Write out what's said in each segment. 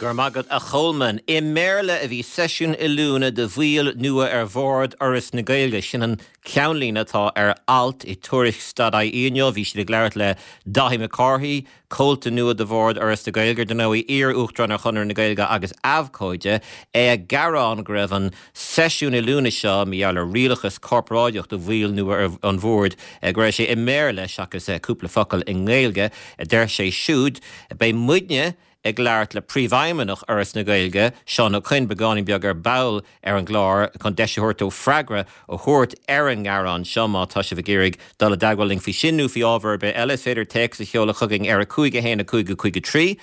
Go raibh maith agat a Cholmáin. I mBéarla a bhí seisiún oiliúna do bhaill nua ar bhord Fhoras na Gaeilge. Sin an ceannlíne atá ar alt i Tuairisc dot ie inniu. Bhí siad ag labhairt le Dáithí Mac Cárthaigh, comhalta nua de bhord Fhoras na Gaeilge, ar ndóigh, iar-Uachtarán ar Chonradh na Gaeilge agus abhcóide, é ag gearán go raibh an seisiún oiliúna seo, mar gheall ar rialachas corparáideach do bhaill nua ar an bhord, go raibh sé i mBéarla seachas cúpla focal i nGaeilge, a deir sé siúd. Beidh muidne ag labhairt le Príomhfheidhmeannach Fhoras na Gaeilge, Seán Ó Coinn, beagáinín beag ar ball ar an gclár chun deis a thabhairt dó freagra a thabhairt ar an ngearán seo. Má tá sibh ag iarraidh dul i dteagmháil linn faoi sin nó faoi ábhar ar bith eile, is féidir téacs a sheoladh chugainn ar 5 1 5 5 3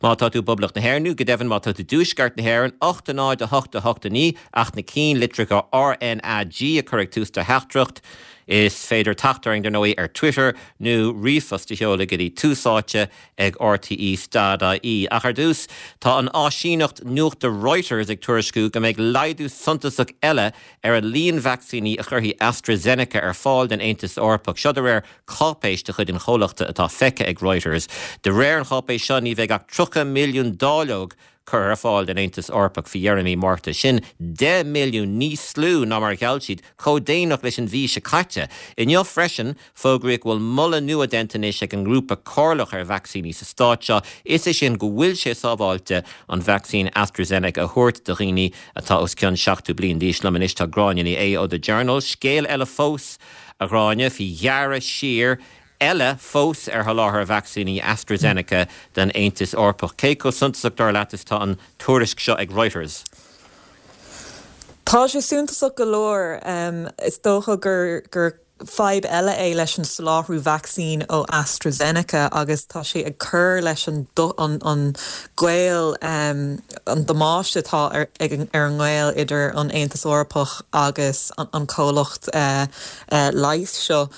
má tá tú i bPoblacht na hÉireann nó go deimhin má tá tú i dTuaisceart na hÉireann, 8 0 8 8 9 ach na cinnlitreacha RnaG a chur ag tús do theachtaireacht. Is féidir teacht orainn, dar ndóigh, ar Twitter nó ríomhphost a sheoladh go dtí Tús Áite ag RTÉ dot ie. Ach ar dtús, tá an áisíneacht nuachta Reuters ag tuairisciú go mbeidh laghdú suntasach eile ar an líon vacsaíní a chuirfidh AstraZeneca ar fáil don Aontas Eorpach. Seo de réir cáipéis de chuid an chomhlachta atá feicthe ag Reuters. De réir an cháipéis seo, ní bheidh ach 30 milliún dáileog curtha ar fáil don Aontas Eorpach faoi dheireadh mí Márta. Sin 10 milliún níos lú ná mar a gheall siad chomh déanach leis an mhí seo caite. Inniu freisin, fógraíodh go bhfuil moladh nua déanta anois ag an nGrúpa Comhairleach ar Vacsaíní sa stát seo, is é sin go bhfuil sé sábháilte an vacsaín AstraZeneca a thabhairt do dhaoine atá os cionn 70 bliain d'aois. Liom anois tá Gráinne Ní Aodha ó The Journal. Scéal eile fós, a Ghráinne, faoi ghearradh siar eile fós ar sholáthar vacsaíní AstraZeneca don Aontas Eorpach. Cé chomh suntasach, dar leat, is atá an tuairisc seo ag Reuters? Tá sé suntasach go leor. Is dócha gur fadhb eile é leis an soláthrú vacsaín ó AstraZeneca agus tá sé ag cur leis an gaol, an damáiste atá ar an ngaol idir an Aontas Eorpach agus an comhlacht leighis seo.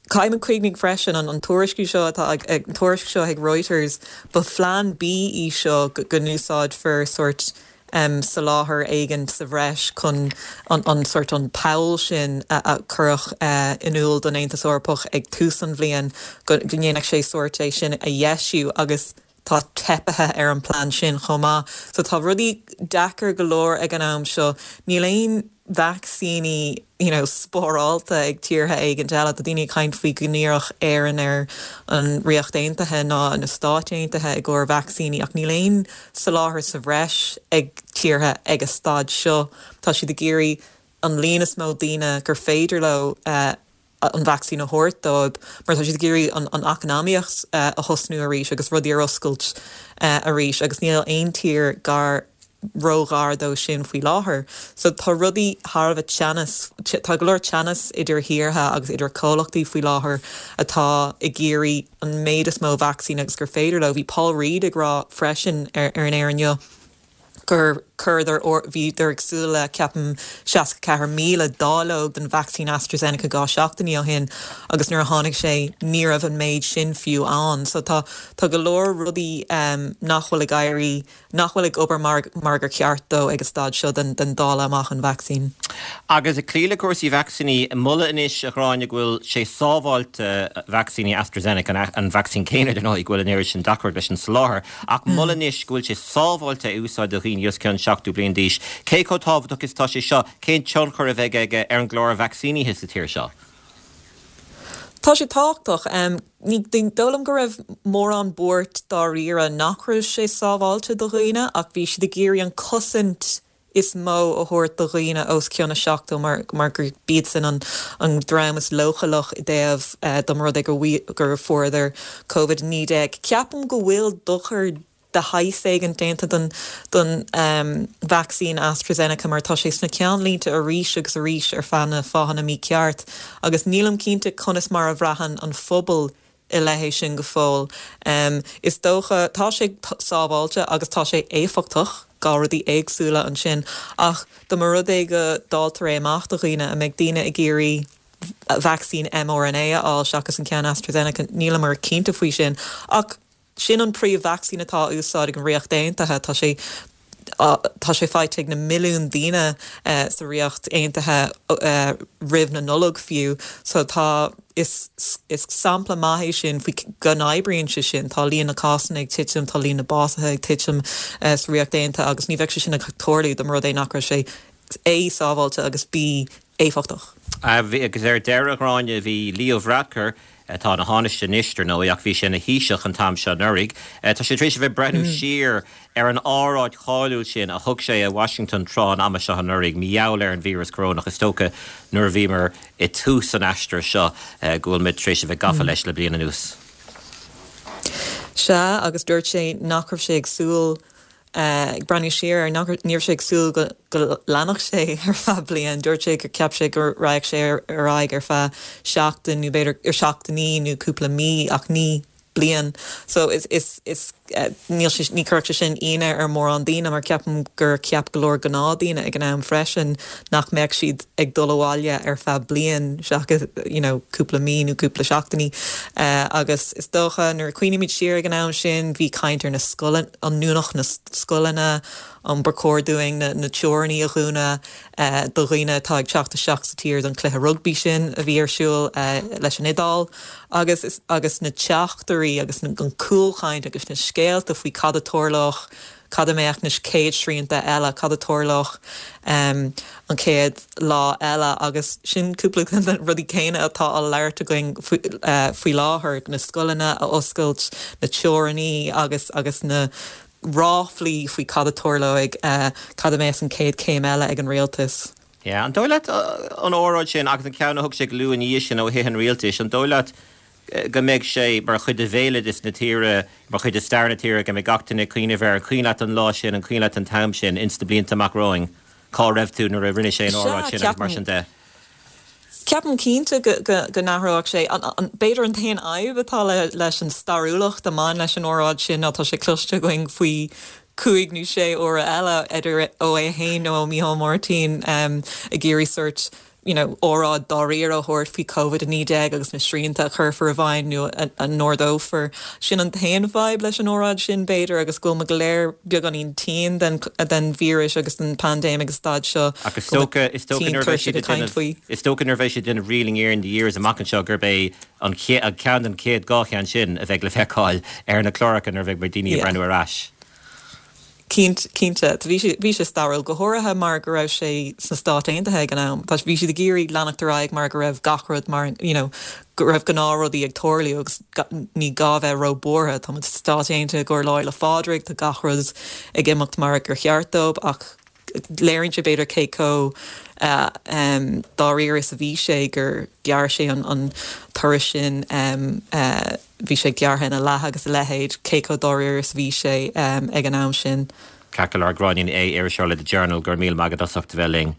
Caithfidh muid cuimhneamh freisin, an tuairisciú seo atá ag, an tuairisc seo ag Reuters, ba phlean B í seo go n-úsáidfear sórt soláthar éigin sa bhreis chun an sórt an poll sin a cuireadh in iúl don Aontas Eorpach ag tús an bhliain go ndéanfadh sé sórt é sin a dheisiú agus tá teipithe ar an plean sin chomh maith. So tá rudaí deacair go leor ag an am seo. Níl aon vacsaíní you know spárálta ag tíortha éigint eile. Tá daoine ag caint faoi go n-iarrfadh Éirinn ar an Ríocht Aontaithe ná na Stáit Aontaithe i gcomhair vacsaíní ach níl aon soláthar sa bhreis ag tíortha ag an staid seo. Tá siad ag iarraidh an líon is mó daoine gur féidir leo an vacsaín a thabhairt dóibh mar tá siad ag iarraidh an eacnamaíocht a thosnú arís agus rudaí ar oscailt arís agus níl aon tír gar ró-ghar dó sin faoi láthair. So tá rudaí thar a bheith teannas, tá go leor teannas idir thíortha agus idir comhlachtaí faoi láthair atá ag iarraidh an méid is mó vacsaín agus gur féidir leo. Bhí Paul Reid ag rá freisin ar an aer inniu gur chuireadar, bhíodar ag súil le, ceapaim, 64,000 dáileog den vacsaín AstraZeneca 2 seachtainí ó shin agus nuair a tháinig sé ní raibh an méid sin fiú ann. So tá, tá go leor rudaí nach bhfuil ag éirí, nach bhfuil ag obair mar, mar gur cheart dó ag an staid seo den, den dáileadh amach an vacsaín. Agus ag cloí le cúrsaí vacsaíní, moladh anois, a Ghráinne, go bhfuil sé sábháilte vacsaíní AstraZeneca, an vacsaín céanna, dar ndóigh, go bhfuil an oiread sin deacracht leis an soláthar, Ach moladh anois go bhfuil sé sábháilte é a úsáid do dhaoine os cionn 70 bliain d'aois. Cé chomh tábhachtach is atá sé seo? Cén tionchar a bheidh aige ar an gclár vacsaínithe sa tír seo? Tá sé tábhachtach. Ní dóigh liom go raibh mórán buairt dáiríre nach raibh sé sábháilte do dhaoine ach bhí siad ag iarraidh an cosaint is mó a thabhairt do dhaoine os cionn a 70 mar mar gur b'iadsan an an dream is leochaileach i dtaobh dá mba rud é go gur fuaireadar Covid-19. Ceapaim go bhfuil dochar de shaghas éigin déanta don don vacsaín AstraZeneca mar tá sé sna ceannlínte arís agus arís ar feadh na fáthanna mícheart agus nílim cinnte conas mar a bhraitheann an phobal i leith é sin go fóill. Is dócha, tá sé sábháilte agus tá sé éifeachtach, 2 rudaí éagsúla ansin, ach dá mba rud é go dáiltear é amach do dhaoine, an mbeidh daoine ag iarraidh vacsaín mRNA a fháil seachas an ceann AstraZeneca? Níleamar cinnte faoi sin. Ach sin an príomh-vacsaín atá á úsáid ag an Ríocht Aontaithe. Tá sé. Tá sé faighte ag na milliúin daoine sa Ríocht Aontaithe roimh na Nollag fiú. So tá, is sampla maith é sin faoi go n-oibríonn sé sin. Tá líon na cásanna ag titim, tá líon na básuithe ag titim sa Ríocht Aontaithe agus ní bheadh sé sin ag tarlú dá mba rud é nach raibh sé A, sábháilte agus B, éifeachtach. Agus ar deireadh, a Ghráinne, bhí Leo Varadkar, atá ina Thánaiste anois, dar ndóigh, ach bhí sé ina Thaoiseach an t-am seo anuraidh, tá sé tar éis a bheith ag breathnú siar ar an óráid cháiliúil sin a thug sé i Washington tráth an ama seo anuraidh, mar gheall ar an víreas corónach, is dócha, nuair a bhíomar i dtús an aistir seo go bhfuil muid tar éis a bheith gafa leis le bliain anuas. Sea, agus dúirt sé nach raibh sé ag súil Ag breathnú siar air, nach, ní raibh sé ag súil go, go leanfadh sé ar feadh bliain. Dúirt sé gur cheap sé go raghadh sé ar aghaidh ar feadh seachtain nó b'fhéidir, ar seachtainí nó cúpla mí ach ní bliain. So is, is, is, níl sé, ní chuirfeadh sé sin ionadh ar mórán daoine mar ceapaim gur cheap go leor gnáthdhaoine ag an am freisin nach mbeadh siad ag dul abhaile ar feadh bliain seachas you know cúpla mí nó cúpla seachtainí. Agus is dócha nuair a cuimhnímid siar ag an am sin bhí caint ar na scoileanna, an ndúnfadh na scoileanna, an ba chóir dúinn na teorannaí a dhúnadh do dhaoine atá ag teacht isteach sa tír don chluiche rugbaí sin a bhí ar siúl leis an Iodáil agus agus na teachtairí agus an cúlchaint agus na scéalta faoi cad a tarlódh cad a mbeadh na chéad srianta eile, cad a tarlódh an chéad lá eile agus sin cúpla de na rudaí céanna atá á labhairt againn faoi láthair, na scoileanna a oscailt, na teorannaí agus agus na ráflaí faoi cad a tarlóidh, cad a mbeas an chéad chéim eile ag an rialtas. Yeah. An dóigh leat an óráid sin agus an ceann a thug sé go luath ina dhiaidh sin ó Thithe an Rialtais, an dóigh leat go mbeidh sé mar chuid de bhéaloideas na tíre, mar chuid de stair na tíre, go mbeidh gach duine ag cuimhneamh air, an cuimhin leat an lá sin, an cuimhin leat an t-am sin, ins na blianta amach romhainn, cá raibh tú nuair a rinne sé an óráid sin agus mar sin de. Ceapaim cinnte go n-athródh sé. B'fhéidir an t-aon fhadhb atá leis an stairiúlacht a mbain leis an óráid sin ná tá sé cloiste againn faoi chúig nó sé huaire eile, idir ó é féin nó ó Mícheál Martin, ag iarraidh sórt you know óráid dáiríre a thabhairt faoi Covid-19 agus na srianta a chuirfear i bhfeidhm nó a n-ardófar. Sin an t-aon fhadhb leis an óráid sin, b'fhéidir, agus go bhfuil muid go léir beagáinín tinn den den víreas agus den paindéim ag an staid seo, Ach is dócha, is dócha nuair a bheidh siad ag déanamh, faoi. is dócha nuair a bheidh siad ag déanamh Reeling in the Years amach anseo gurb é an chéad, ceann den chéad dhá cheann sin a bheidh le feiceáil ar na cláracha nuair a bheidh daoine ag breathnú ar ais. Cinnte. Bhí sé, bhí sé stairiúil, go háirithe mar go raibh sé sna Stáit Aontaithe ag an am. Tá, bhí siad ag iarraidh leanacht ar aghaidh mar go raibh gach rud mar, you know, go raibh gnáthrudaí ag tarlú agus ní gá bheith ró-bhuartha. Tá muid sna Stáit Aontaithe i gcomhair Lá Fhéile Phádraig, tá gach rud ag imeacht mar gur cheart dóibh ach léiríonn sé b'fhéidir cé chomh dáiríre is a bhí sé gur ghearr sé an turas sin. Bhí sé gearrtha ina leath agus a leithéid, cé chomh dáiríre is a bhí sé ag an am sin. Ceart go leor, Gráinne Ní Aodha, iriseoir le The Journal, go raibh míle maith agat as ucht a bheith linn.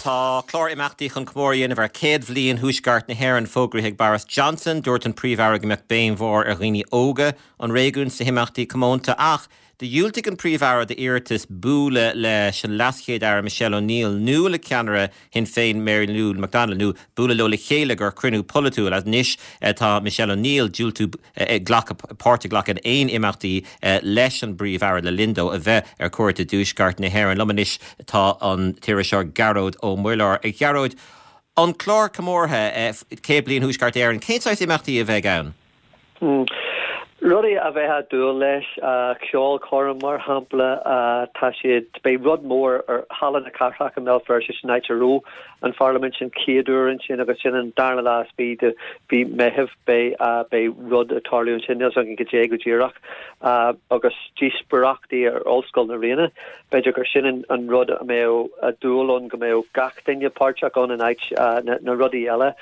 Tá clár imeachtaí chun comóradh a dhéanamh ar 100 bhliain Thuaisceart na hÉireann fógraithe ag Boris Johnson. Dúirt an Príomh-Aire go mbeadh béim mhór ar dhaoine óga an réigiúin sna himeachtaí comónta ach Do dhiúltaigh an Príomh-Aire d'iarratas bualadh leis an LeasChéad-Aire Michelle O'Neill nó le ceannaire Shinn Féin Mary Lou McDonald nó bualadh leo le chéile ag cruinniú polaitiúil. Anois tá Michelle O'Neill diúltú glacadh páirt a ghlacadh in aon imeachtaí leis an bPríomh-Aire le linn dó a bheith ar cuairt i dTuaisceart na hÉireann. Liom anois tá an t-iriseoir Gearóid Ó Muilleoir. A Ghearóid, an clár comórtha 100 Bliain Thuaisceart Éireann, cén saghas imeachtaí a bheidh ann? Rudaí a bheifeá ag dúil leis, ceolchoirm mar shampla, tá siad, beidh rud mór ar Halla na Cathrach i mBéal Feirste, sin áit a raibh an Pharlaimint an chéad uair ansin agus sin an darna lá is fiche de mhí Meitheamh, beidh, beidh rud ag tarlú ansin, níl 's againn cad é go díreach, agus díospóireachtaí ar Ollscoil na Ríona, b'fhéidir gur sin an rud a mbeadh dúil ann go mbeadh gach duine páirteach ann in áit na rudaí eile.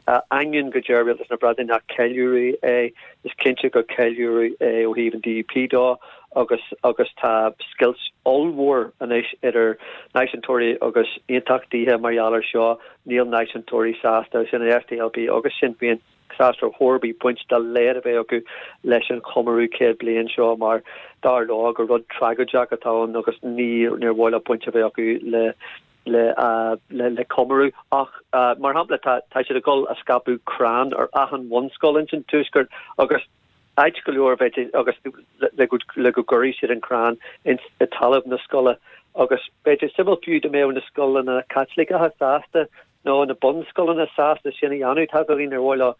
Ainneoin go deir Rialtas na Breataine nach ceiliúradh é, is cinnte gur ceiliúradh é ó thaobh an DUP dó agus agus tá scoilt ollmhór anois idir náisiúntóirí agus aontachtaithe mar gheall air seo. Níl náisiúntóirí sásta, sin an SDLP agus Sinn Féin, sásta ar chor ar bith baint dá laghad a bheith acu leis an chomóradh 100 bliain seo mar dar leo gur rud tragóideach atá ann agus ní níor mhaith leo baint a bheith acu le le comóradh ach mar shampla tá siad ag dul a scaipeadh crann ar achan bhunscoil ins an tuaisceart agus. Áit go leor b'fhéidir agus le go le go gcuirfidh siad an crann ins i talamh na scoile agus b'fhéidir suimiúil fiú dá mbeadh na scoileanna Caitliceacha sásta nó na bunscoileanna sásta sin a dhéanamh. Tá daoine ar mhaith leo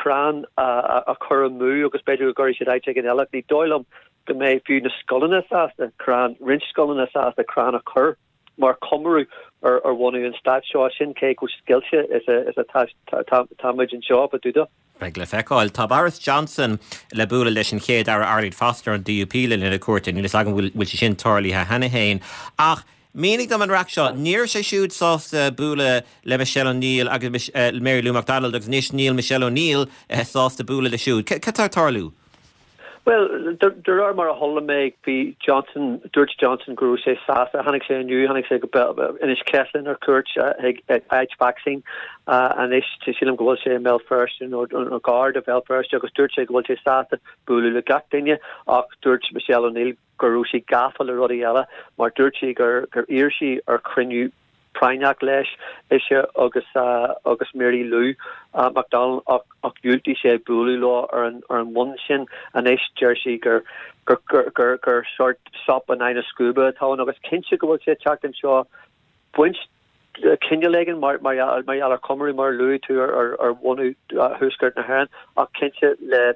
crann a chur amú agus b'fhéidir go gcuirfidh siad áit éigin eile. Ní dóigh liom go mbeidh fiú na scoileanna sásta crann, roinnt scoileanna sásta crann a chur. mar chomóradh ar bhunú an stáit seo. Sin cé chomh scoilte is atá muid anseo, fá dtaobh de. Beidh le feiceáil. Tá Boris Johnson le bualadh leis an Chéad Aire Arlene Foster an DUP le linn a cuairte. Níl fhios agam an bhfuil sé sin tarlaithe cheana féin. Ach mínigh dom an raic seo. Ní raibh sé siúd sásta bualadh le Michelle O'Neill agus Mary Lou McDonald agus anois níl Michelle O'Neill sásta bualadh leis siúd. Cad tá ag tarlú? Bhuel, de réir mar a chuala mé, bhí Johnson, dúirt Johnson go raibh sé sásta, tháinig sé inniu, tháinig sé go Inis Ceithleann ar cuairt ag áit vacsaín anois, sílim go bhfuil sé i mBéal Feirste nó gar do Bhéal Feirste agus dúirt sé go bhfuil sé sásta bualadh le gach duine ach dúirt Michelle O'Neill go raibh sí gafa le rudaí eile mar dúirt sí gur iarr sí ar chruinniú práinneach leis, ise agus agus Mary Lou McDonald ach ach dhiúltaigh sé bualadh leo ar an ar an mbonn sin. Anois deir sí gur gur gur gur gur sórt sop in aghaidh na scuaibe atá ann agus cinnte go bhfuil sé ag teacht anseo baint cineál éigin mar mar mar gheall ar chomóradh mar a luaigh tú ar ar ar bhunú Thuaisceart na hÉireann ach cinnte le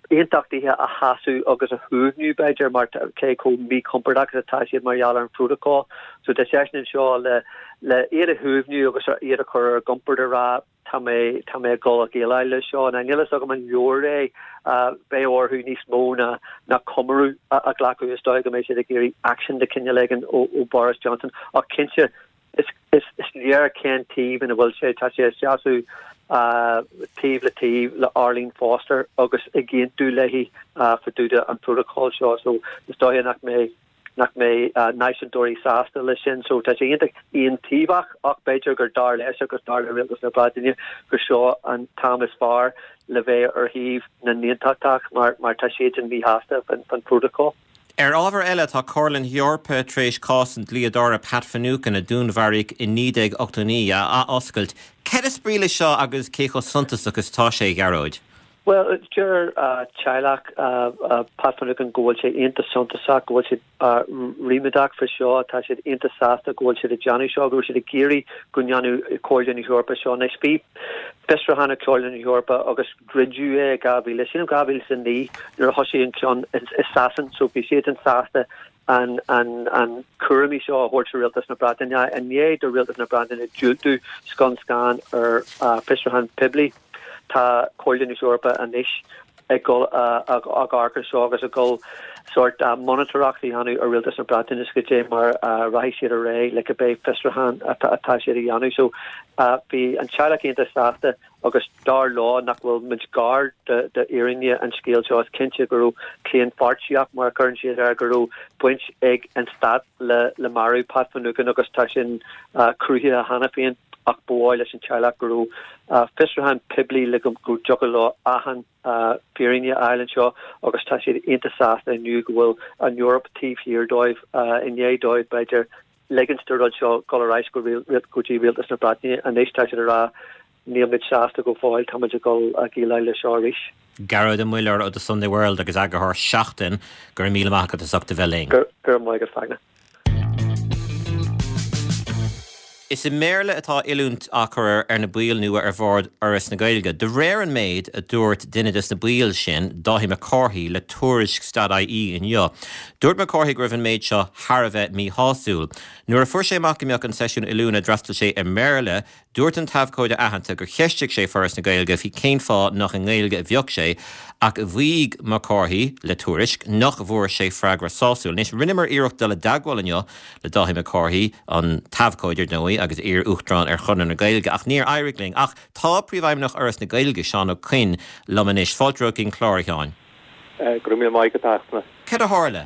aontachtaithe a shásamh agus a shuaimhniú, b'fhéidir, mar cé chomh míchompordach is atá siad mar gheall ar an phrótacal. So tá seisean anseo le le iad a shuaimhniú agus iad a chur ar a gcompord a rá tá mé tá mé ag dul a dhéileáil leis seo. Now níl fhios agam an leor é, beidh orthu níos mó ná ná comóradh a ghlacadh. Is dóigh go mbeidh siad ag iarraidh action de chineál éigin ó ó Boris Johnson ach cinnte Is léir cén taobh ina bhfuil sé, tá sé ag seasamh taobh le taobh le Arlene Foster agus ag aontú léi fá dtaobh de an prótacal seo so is dóiche nach mbeidh nach mbeidh náisiúntóirí sásta leis sin. So tá sé iontach aontaobhach ach b'fhéidir gur dar leis agus dar le Rialtas na Breataine gur seo an t-am is fearr le bheith ar thaobh na n-aontachtach mar mar tá siadsan míshásta faoin phrótacal. Ar ábhar eile, tá Comhairle na hEorpa tar éis cás an dlíodóra Pat Finucane, a dúnmharaíodh i 1989, a athoscailt. Cad is brí leis seo agus cé chomh suntasach is atá sé, a Ghearóid? Bhuel, deir teaghlach Pat Finucane go bhfuil sé iontach suntasach, go bhfuil siad ríméadach faoi seo, tá siad iontach sásta go bhfuil siad ag déanamh seo, go raibh siad ag iarraidh go ndéanfadh Comhairle na hEorpa seo. Anois, bhí fiosrúchán ag Comhairle na hEorpa agus druideadh é i 2000, sílim 2009 nuair a thosaigh an ceann i Sasain so bhí siadsan sásta an an an cúramaí seo a thabhairt do Rialtas na Breataine. I ndiaidh do Rialtas na Breataine diúltú scun scan ar fiosrúchán poiblí tá Comhairle na hEorpa anois ag dul ag amharc ar seo agus ag dul sórt monatóireacht a dhéanamh ar Rialtas na Breataine is goidé mar a rachaidh siad ar aghaidh le cibé fiosrúchán atá siad a dhéanamh. So bhí an teaghlach iontach sásta agus dar leo nach bhfuil muid gar d'fhírinne an scéil seo. Is cinnte go raibh claonpháirtíocht, mar a chuireann siad air, go raibh baint ag an stát le marú Pat Finucane agus tá sin cruthaithe cheana féin ach ba mhaith leis an teaghlach go raibh fiosrúchán poiblí le go dtiocfadh leo achan fírinne a fháil anseo agus tá siad iontach sásta inniu go bhfuil an Eoraip taobh thiar dóibh i ndiaidh dóibh, b'fhéidir, ligint don rud seo dul ar ais go dtí Rialtas na Breataine. Anois tá siad ag rá níl muid sásta go fóill, tá muid ag dul a dhéileáil leis seo arís. Gearóid Ó Muilleoir ó The Sunday World agus eagarthóir Seachtain, go raibh míle maith agat as ucht a bheith linn. Go raibh maith agat, Fachtna. Is i mBéarla atá oiliúint á cur ar na baill nua ar bhord Fhoras na Gaeilge. De réir an méid a dúirt duine des na baill sin, Dáithí Mac Cárthaigh, le Tuairisc stad-IE inniu. Dúirt Mac Cárthaigh go raibh an méid seo thar a bheith míshásúil. Nuair a fuair sé amach go mbeadh an seisiún oiliúna a d'fhreastail sé i mBéarla, Dúirt an t-abhcóide aitheanta gur cheistigh sé Foras na Gaeilge faoi cén fáth nach i nGaeilge a bheadh sé, ach mhaígh Mac Cárthaigh le Tuairisc nach bhfuair sé freagra sásúil. Anois, rinneamar iarracht dul i dteagmháil inniu le Dáithí Mac Cárthaigh, an t-abhcóide, ar ndóigh, agus iar-Uachtarán ar Chonradh na Gaeilge, ach níor éirigh linn. Ach tá Príomhfheidhmeannach Fhoras na Gaeilge, Seán Ó Coinn, liom anois. Fáilte romhat chuig an chlár, a Sheáin. Go raibh míle maith agat, a Fhachtna. Cad a tharla?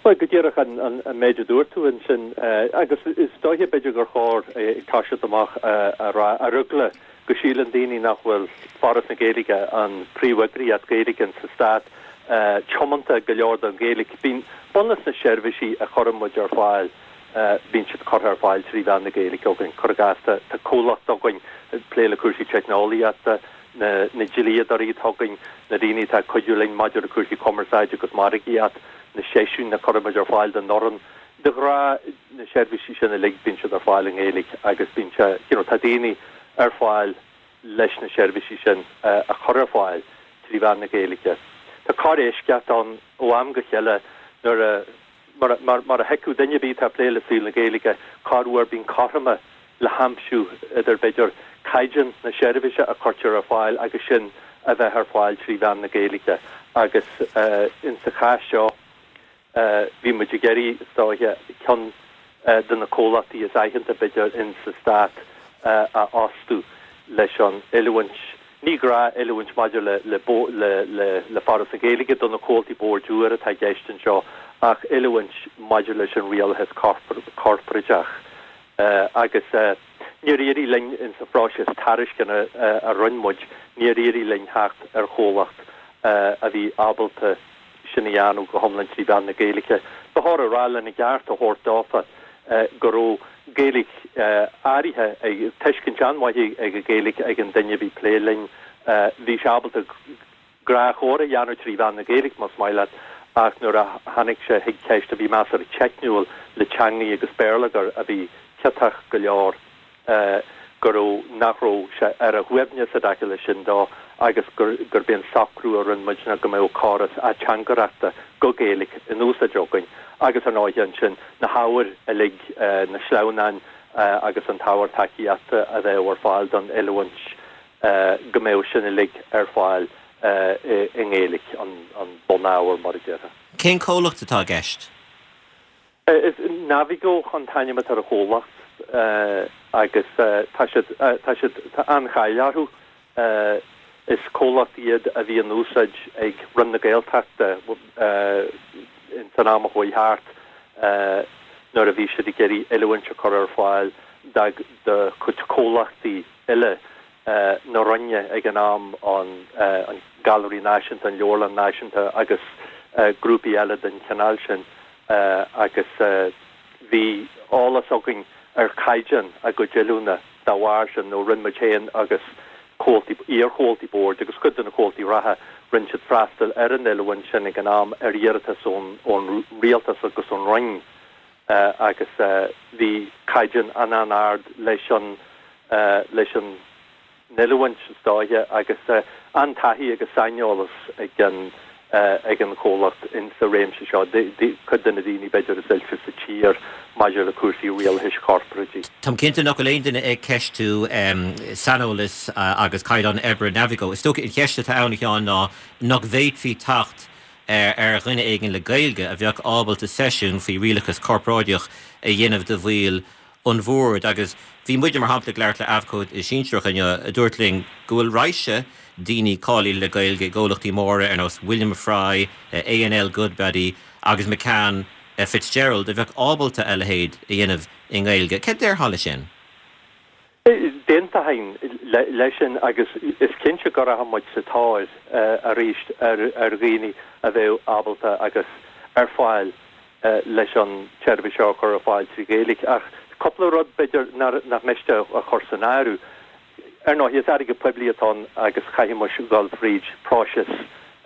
Bhuel, go díreach an méid a dúirt tú ansin, agus is dóiche b'fhéidir gur chóir ag toiseacht amach a rá, ar eagla go síleann daoine nach bhfuil Foras na Gaeilge, an príomheagraíocht Gaeilge sa stát, tiomanta go leor don Ghaeilge. Bíonn bunús na seirbhísí a chuireann muid ar fáil, bíonn siad curtha ar fáil trí mheán na Gaeilge againn. Cuir i gcás, tá comhlacht againn ag plé le cúrsaí teicneolaíochta. Na dlíodóirí atá againn, na daoine atá ag cuidiú linn maidir le cúrsaí cumarsáide agus margaíocht, na seisiúin a chuirimid ar fáil don fhoireann, de ghnáth na seirbhísí sin uilig bíonn siad ar fáil i nGaeilge agus bíonn sé, you know, tá daoine ar fáil leis na seirbhísí sin a chur ar fáil trí mheán na Gaeilge. Tá corr-eisceacht ann ó am go chéile nuair a, mar, mar a thuigfeadh duine ar bith atá ag plé le saol na Gaeilge, corruair bíonn cothroime le haimsiú idir, b'fhéidir, caighdeán na seirbhíse a chuirtear ar fáil agus sin a bheith ar fáil trí mheán na Gaeilge agus insa chás seo, Bhí muid ag iarraidh, is dóiche, ceann de na comhlachtaí is aitheanta, b'fhéidir, in sa Stát a fhostú leis an oiliúint, ní gnáth-oiliúint maidir le le Foras na Gaeilge do na comhaltaí boird úr atá i gceist anseo ach oiliúint maidir leis an rialachas corparáideach. Agus níor éirigh linn in sa phróiseas tairisceana a rinne muid, níor éirigh linn theacht ar chomhlacht a bhí ábalta sin a dhéanamh go hiomlán trí mheán na Gaeilge. Ba chóir a rá lena gceart a thabhairt dófa go raibh Gaeilge áirithe, tuiscint an-mhaith ag an Ghaeilge ag an duine a bhí ag plé linn. Bhí sé ábalta gnáthchomhrá a dhéanamh trí mheán na Gaeilge, más maith leat, ach nuair a tháinig sé chuig ceist a bhí measartha teicniúil le teangaí agus béarlagair a bhí ciotach go leor, go raibh, nach raibh sé ar a shuaimhneas i dtaca leis sin dó agus gur, gurb é an socrú a rinne muid ná go mbeadh córas ateangaireachta go Gaeilge in úsáid againn agus ar ndóighe ansin na hábhair uilig, na sleamhnáin agus an t-ábhar tacaíochta a bheadh ar fáil don oiliúint, go mbeadh sin uilig ar fáil i nGaeilge, an bunábhar mar a déarfá. Cén comhlacht atá i gceist? Is Navigo an t-ainm atá ar an chomhlacht agus tá siad, tá siad, tá an-cháil orthu. Is comhlacht iad a bhí in úsáid ag Roinn na Gaeltachta ins an am a chuaigh thart nuair a bhí siad ag iarraidh oiliúint a chur ar fáil do chuid comhlachtaí eile na Roinne ag an am, an Gailearaí Náisiúnta, an Leabharlann Náisiúnta agus grúpaí eile den chineál sin agus bhí eolas againn ar chaighdeán a gcuid oiliúna dá bharr sin nó rinne muid féin agus comhaltaí, iar-chomhaltaí boird agus cuid de na comhaltaí reatha, rinne siad freastal ar an oiliúint sin ag an am ar iarratas ón Rialtas agus ón Roinn. agus bhí caighdeán an-an-ard leis an leis an oiliúint is dóiche agus an-taithí agus saineolas ag an ag an chomhlacht in sa réimse seo, cuid de na daoine b'fhéidir is oilte sa tír maidir le cúrsaí rialachais chorporáidigh. Táim cinnte nach bhfuil aon duine ag ceistiú saineolas agus caighdeán oibre Navigo. Is dócha an cheist atá ann, a Sheáin, ná nach bhféadfaí teacht ar dhuine éigin le Gaeilge a bheadh ábalta seisiún faoi rialachas corparáideach a dhéanamh do bhaill an bhoird. Agus bhí muide, mar shampla, ag labhairt le abhcóide sinsearach inniu a dúirt linn go bhfuil raidhse daoine cáilithe le Gaeilge i gcomhlachtaí móra ar nós William Fry, A&L Goodbody agus McCann Fitzgerald a bheadh ábalta a leithéid a dhéanamh i nGaeilge. Céard déarfá leis sin? D'aontóinn leis sin agus is cinnte go rachaidh muid sa tóir arís ar dhaoine a bheadh ábalta agus ar fáil leis an tseirbhís seo a chur ar fáil trí Ghaeilge. Ach cúpla rud, b'fhéidir, nach miste a chur san áireamh. Ar ndóigh, is airgead poiblí atá ann agus chaithfidh muid dul fríd próiseas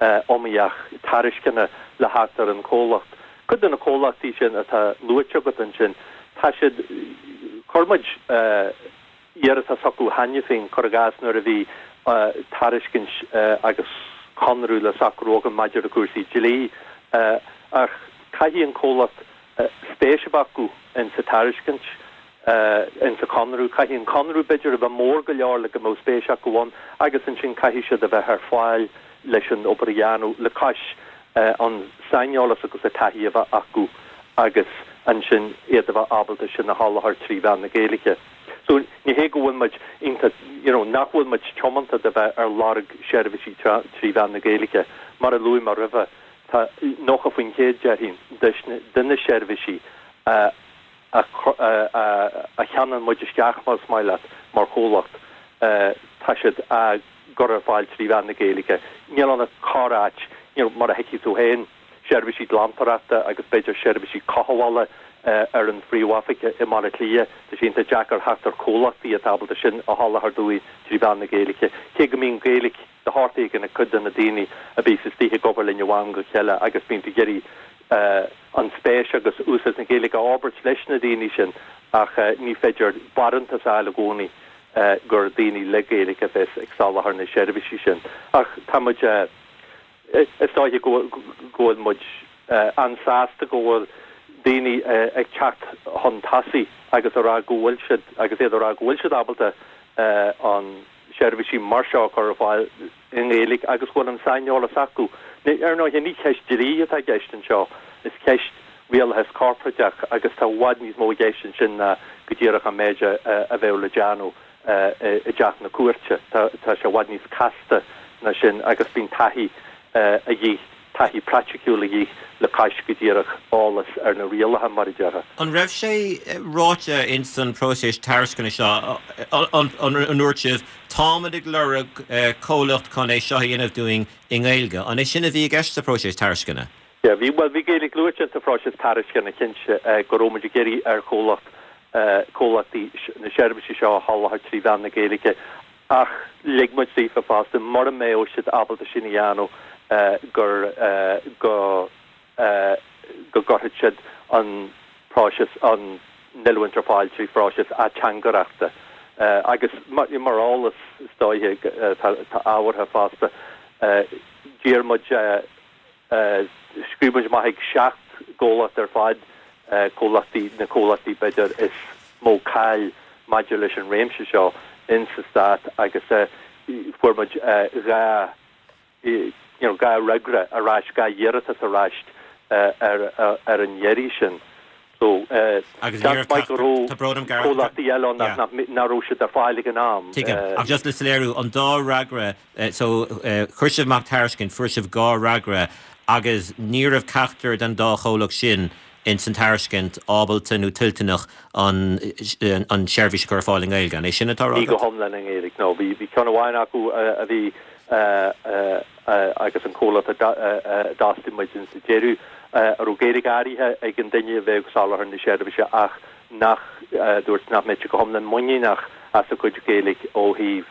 iomaíoch tairisceana le theacht ar an chomhlacht. Cuid de na comhlachtaí sin atá luaite agat ansin, tá siad, chuir muid iarratas chucu cheana féin, cuir i gcás nuair a bhí tairiscint agus conradh le socrú againn maidir le cúrsaí dlí, ach caithfidh an comhlacht spéis a bheith acu in sa tairiscint, in sa chonradh, caithfidh an conradh b'fhéidir a bheith mór go leor le go mbeadh spéis acu ann agus ansin caithfidh siad a bheith ar fáil leis an obair a dhéanamh le cois an saineolas agus an taithí a bheith acu agus ansin iad a bheith ábalta sin a sholáthar trí mheán na Gaeilge. So ní hé go bhfuil muid iontach, you know, nach bhfuil muid tiomanta do bheith ar lorg seirbhísí trí mheán na Gaeilge. Mar a luaigh mé roimhe, tá 90% déarfainn de na seirbhísí a a cheannaíonn muid isteach, más maith leat, mar chomhlacht, tá siad á gcur ar fáil trí mheán na Gaeilge. Níl ann ach corr-áit, you know, mar a thuigfidh tú féin, seirbhísí glantóireachta agus b'fhéidir seirbhísí cothabhála. ar an phríomhoifig i mBaile Átha Cliath, tá sé iontach deacair theacht ar chomhlachtaí atá ábalta sin a sholáthar dúinn trí mheán na Gaeilge, cé go mbíonn Gaeilge de shórt éigin ag cuid de na daoine a bíos istigh ag obair linn ó am go chéile agus bíonn tú ag iarraidh an spéis agus úsáid na Gaeilge a fhorbairt leis na daoine sin ach ní féidir barántas a fháil i gcónaí gur daoine le Gaeilge a bheas ag soláthar na seirbhísí sin. Ach tá muid. Is dóiche go bhfuil muid an-sásta go bhfuil daoine ag teacht chun tosaigh agus a rá go bhfuil siad, agus iad a rá go bhfuil siad ábalta an seirbhísí mar seo a chur ar fáil i nGaeilge agus go bhfuil an saineolas acu. Ar ndóighe, ní ceist dlí atá i gceist anseo, is ceist rialachas corparáideach agus tá i bhfad níos mó i gceist ansin ná go díreach an méid a bheadh le déanamh. i dteach na cúirte. Tá sé i bhfad níos casta ná sin agus bíonn taithí a dhíth, taithí praiticiúil a dhíth le cois go díreach eolas ar na rialacha, mar a déarfá. An raibh sé ráite ins an próiseas tairisceana seo, an ndúirt sibh, táimid ag lorg comhlacht chun é seo a dhéanamh dúinn i nGaeilge? An é sin a bhí i gceist sa phróiseas tairisceana? Yeah, bhí, bhuel, bhí Gaeilge luaite sa phróiseas tairisceana, cinnte, go raibh muid ag iarraidh ar chomhlacht, comhlachtaí na seirbhísí seo a sholáthar trí mheán na Gaeilge ach lig muid daofa fosta, mura mbeadh siad ábalta sin a dhéanamh, gur, go, go gcuirfeadh siad an próiseas, an oiliúint ar fáil trí phróiseas ateangaireachta. Agus mar eolas, is dóiche, atá ábhartha fosta, d'iarr muid, Scríobh muid amach ag 7 gcomhlacht ar fad, comhlachtaí, na comhlachtaí b'fhéidir is mó cáil maidir leis an réimse seo in sa Stát agus fuair muid 2 you know 2 fhreagra ar ais, 2 iarratas ar ais ar ar an iarraidh sin. So Agus ní raibh maith go raibh tá brón orm Gareth, comhlachtaí eile ann yeah. nach raibh siad ar fáil ag an am. Tuigim. Ach just le soiléiriú, an dá fhreagra, so chuir sibh amach tairiscint, fuair sibh 2 fhreagra agus ní raibh ceachtar den dá chomhlacht sin ins an tairiscint ábalta nó toilteanach an an tseirbhís a chur ar fáil i nGaeilge. An é sin atá á rá Ní go hiomlán i nGaeilge, no. Bhí bhí ceann amháin acu a bhí agus an comhlacht a d'fhostaigh muid insa deireadh, a raibh Gaeilge áirithe ag an duine a bheadh ag soláthar na seirbhíse ach nach, dúirt nach mbeadh sé go hiomlán muiníneach as a chuid Gaeilge ó thaobh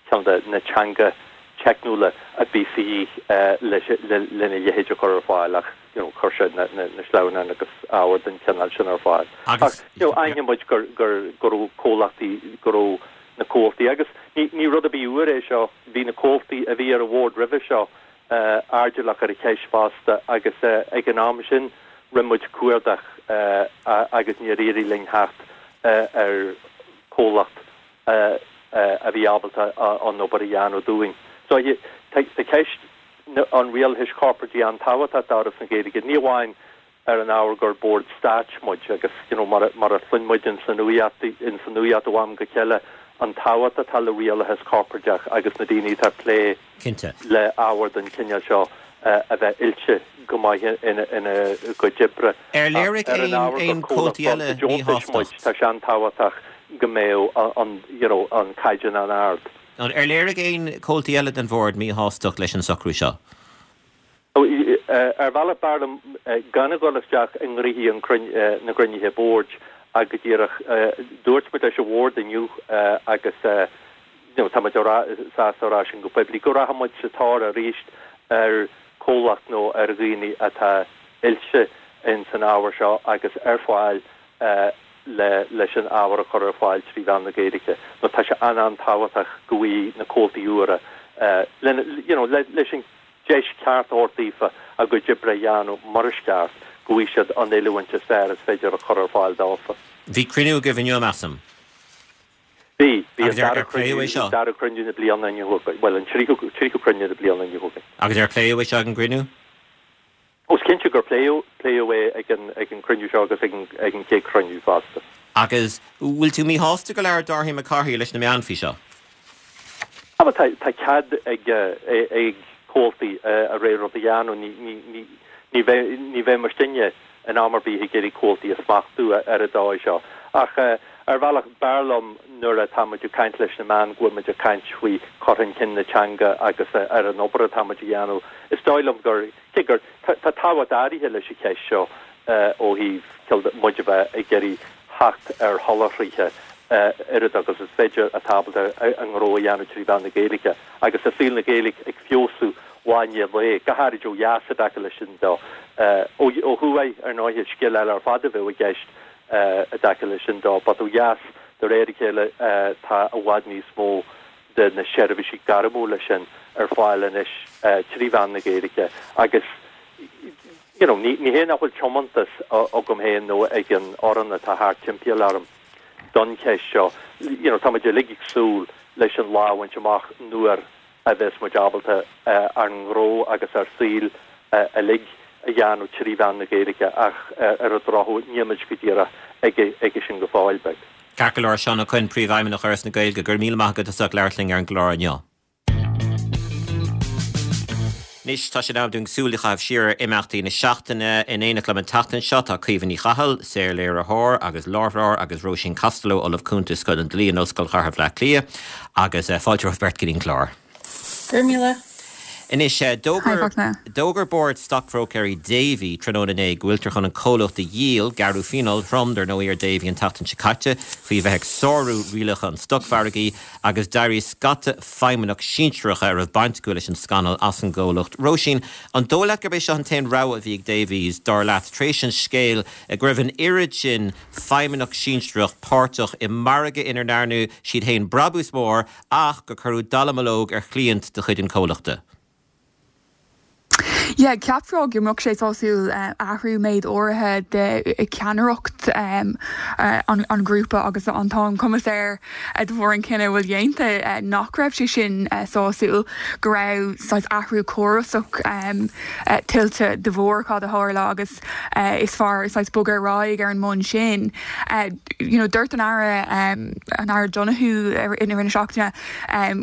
ceann de na teanga teicniúla a bhí de dhíth lena leithéid a chur ar fáil ach you know chuir sé na sleamhnáin agus ábhar den chineál sin ar fáil. Ach you know aithníonn muid gur go raibh comhlachtaí, go raibh na comhaltaí agus ní rud ar bith úr é seo, bhí na comhaltaí a bhí ar an bhord roimhe seo airdeallach ar an cheist fosta agus ag an am sin rinne muid cuardach agus níor éirigh linn theacht ar chomhlacht a bhí ábalta an obair a dhéanamh dúinn. So tá ceist an rialachais chorporáidigh an-tábhachtach d'Fhoras na Gaeilge, ní amháin ar an ábhar gur bord stáit muid agus you know mar mar a chluin muid ins an nuacht ins an nuacht ó am go chéile an tábhacht atá le rialachas corparáideach agus na daoine atá ag plé Cinnte. le ábhar den chineál seo a bheith oilte go maith ina ina gcuid oibre. Ar léirigh Ar an aon ábhar gur aon comhlacht comhaltaí eile bord deontais muid míshástacht? tá sé an-tábhachtach go mbeadh an you know an caighdeán an-ard. Ar léirigh aon comhaltaí eile den bhord míshástacht leis an socrú seo? Ar bhealach b'fhearr liom gan a dhul isteach i ngnoithí na gcruinnithe boird ach go díreach dúirt muid leis an bhord inniu agus tá muid sásta a rá sin go poiblí go rachaidh muid sa tóir arís ar chomhlacht nó ar dhaoine atá oilte ins an ábhar seo agus ar fáil leis an ábhar a chur ar fáil trí mheán na Gaeilge nó tá sé an-an-tábhachtach go bhfaighidh na comhaltaí úra leis an deis ceart a thabhairt daofa a gcuid oibre a dhéanamh mar is ceart, go bhfaighidh siad an oiliúint is fearr is féidir a chur ar fáil dófa. Bhí cruinniú agaibh inniu, measaim. Bhí. Bhí an dara cruinniú, an dara cruinniú na bliana inniu againn. Bhuel, an tríú, tríú cruinniú na bliana inniu againn. Agus ar pléadh é seo ag an gcruinniú? Ó, is cinnte gur pléadh, pléadh é ag an, ag an gcruinniú seo agus ag an, ag an chéad chruinniú fosta. Agus bhfuil tú míshásta gur labhair Dáithí Mac Cárthaigh leis na meáin faoi seo? Ah, bhuel, tá, tá cead ag, ag comhaltaí a rogha rud a dhéanamh. Ní, ní, ní, ní bheidh, ní bheidh muidinne in am ar bith ag iarraidh comhaltaí a smachtú ar an dóigh seo. Ach ar bhealach, b'fhearr liom nuair atá muid ag caint leis na meáin go bhfuil muid ag caint faoi chur chun cinn na teanga agus ar an obair atá muid a dhéanamh. Is dóigh liom gur, cé gur, tá tábhacht áirithe leis an cheist seo. ó thaobh muid a bheith ag iarraidh theacht ar sholáthraithe oiread agus is féidir atá ábalta a ngnó a dhéanamh trí mheán na Gaeilge agus tá saol na Gaeilge ag feabhsú lá i ndiaidh lae, go háirid ó dheas i dtaca leis sin de. Ó thuaidh, ar ndóighe, scéal eile ar fad a bheadh i gceist i dtaca leis sin de, but ó dheas, de réir a chéile, tá i bhfad níos mó de na seirbhísí gairmiúla sin ar fáil anois trí mheán na Gaeilge agus you know ní hé nach bhfuil tiomantas agam féin nó ag an fhoireann atá thart timpeall orm don cheist seo, you know tá muid uilig ag súil leis an lá a bhaint amach nuair a bheas muid ábalta ár ngnó agus ár saol uilig a dhéanamh trí mheán na Gaeilge ach ar an drochuair níl muid go díreach aige sin go fóill beag. Ceart go leor, Seán Ó Coinn, Príomhfheidhmeannach Fhoras na Gaeilge, go raibh míle maith agat as ucht labhairt linn ar an gclár inniu. Anois tá sé in am dúinn súil a chaitheamh siar ar imeachtaí na seachtaine. In éineacht liom an tseachtain seo tá Caoimhe Ní Chathail, saorléiritheoir agus láithreoir agus Róisín Costello, Ollamh Cúnta i Scoil an Dlí in Ollscoil Chathair Bhaile Átha Cliath. Agus fáilte romhaibh beirt go dtí an clár. Go raibh míle. Anois, d'fhógair Bord Stocbhróicéirí Davy tráthnóna inné go bhfuiltear chun an comhlacht a dhíol, gearradh fíneáil throm, dar ndóigh, ar Davy an tseachtain seo caite faoi bheith ag sárú rialacha an stocmhargaidh agus d'éirigh scata feidhmeannach sinsearacha a raibh baint acu leis an scannal as an gcomhlacht. Róisín, an dóigh leat gurb é seo an t-aon rogha a bhí ag Davys, dar leat, tar éis an scéil go raibh an oiread sin feidhmeannach sinsearach páirteach i margadh ina ndearna siad féin brabús mór ach gur cuireadh dallamullóg ar chliaint de chuid an chomhlachta. Yeah, cheapfá go mbeadh sé sásúil athrú méid áirithe de cheannaireacht an ghrúpa agus an tá an cumas air de bharr an cinneadh a bhfuil déanta nach raibh sé sin sásúil, go raibh saghas athrú córasach tuillte de bharr cad a tharla agus is fearr saghas bogadh ar aghaidh ar an mbonn sin. You know, dúirt an Aire, an Aire Donohoe i rith na seachtaine,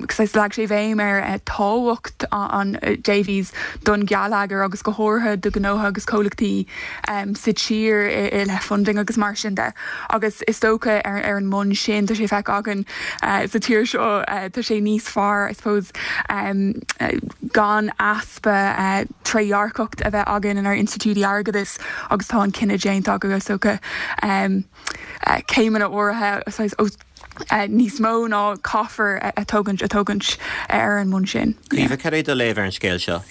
saghas leag sé béim ar tábhacht an Davys don gheilleagar agus go háirithe do ghnótha agus comhlachtaí sa tír i leith funding agus mar sin de. Agus is dócha ar an mbonn sin tá sé feicthe againn sa tír seo tá sé níos fearr I suppose gan easpa trédhearcacht a bheith againn inár institiúidí airgeadais agus tá an cinneadh déanta acu is dócha céimeanna áirithe níos mó ná caithfear a tógaint a tógaint ar an mbonn sin. Caoimhe, cad é do léamh ar an scéal seo?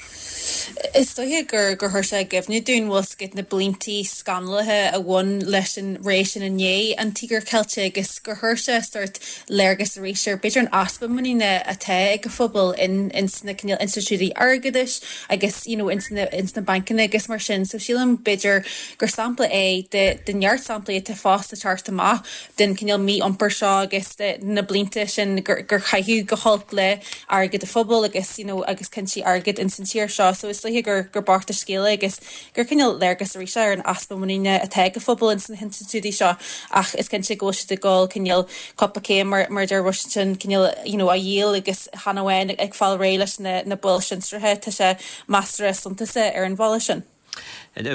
Is dóiche gur gur chuir sé i gcuimhne dúinn bhfuil 's agat na bliantaí scannalaithe a bhain leis an ré sin i ndiaidh an Tíogar Ceilte agus gur chuir sé sórt léargas arís ar b'fhéidir an easpa muiníne atá ag an phobal in ins na cineál institiúidí airgeadais agus you know ins na ins na bancanna agus mar sin. So sílim b'fhéidir gur sampla é de de neart samplaí atá fós le teacht amach den cineál mí-iompar seo agus de na blianta sin gur gur caitheadh go holc le airgead an phobail agus you know agus cúinsí airgid ins an tír seo. So is dóiche gur gur bocht an scéal é agus gur cineál léargas arís é ar an easpa muiníne atá ag an phobal ins na hinstitiúidí seo ach is cinnte go bhfuil siad ag dul cineál cúpla céim mar mar a deir Róisín cineál you know á dhíol agus chan amháin ag fáil réidh leis na na baill sinsearacha tá sé measartha suntasach ar an bhealach sin.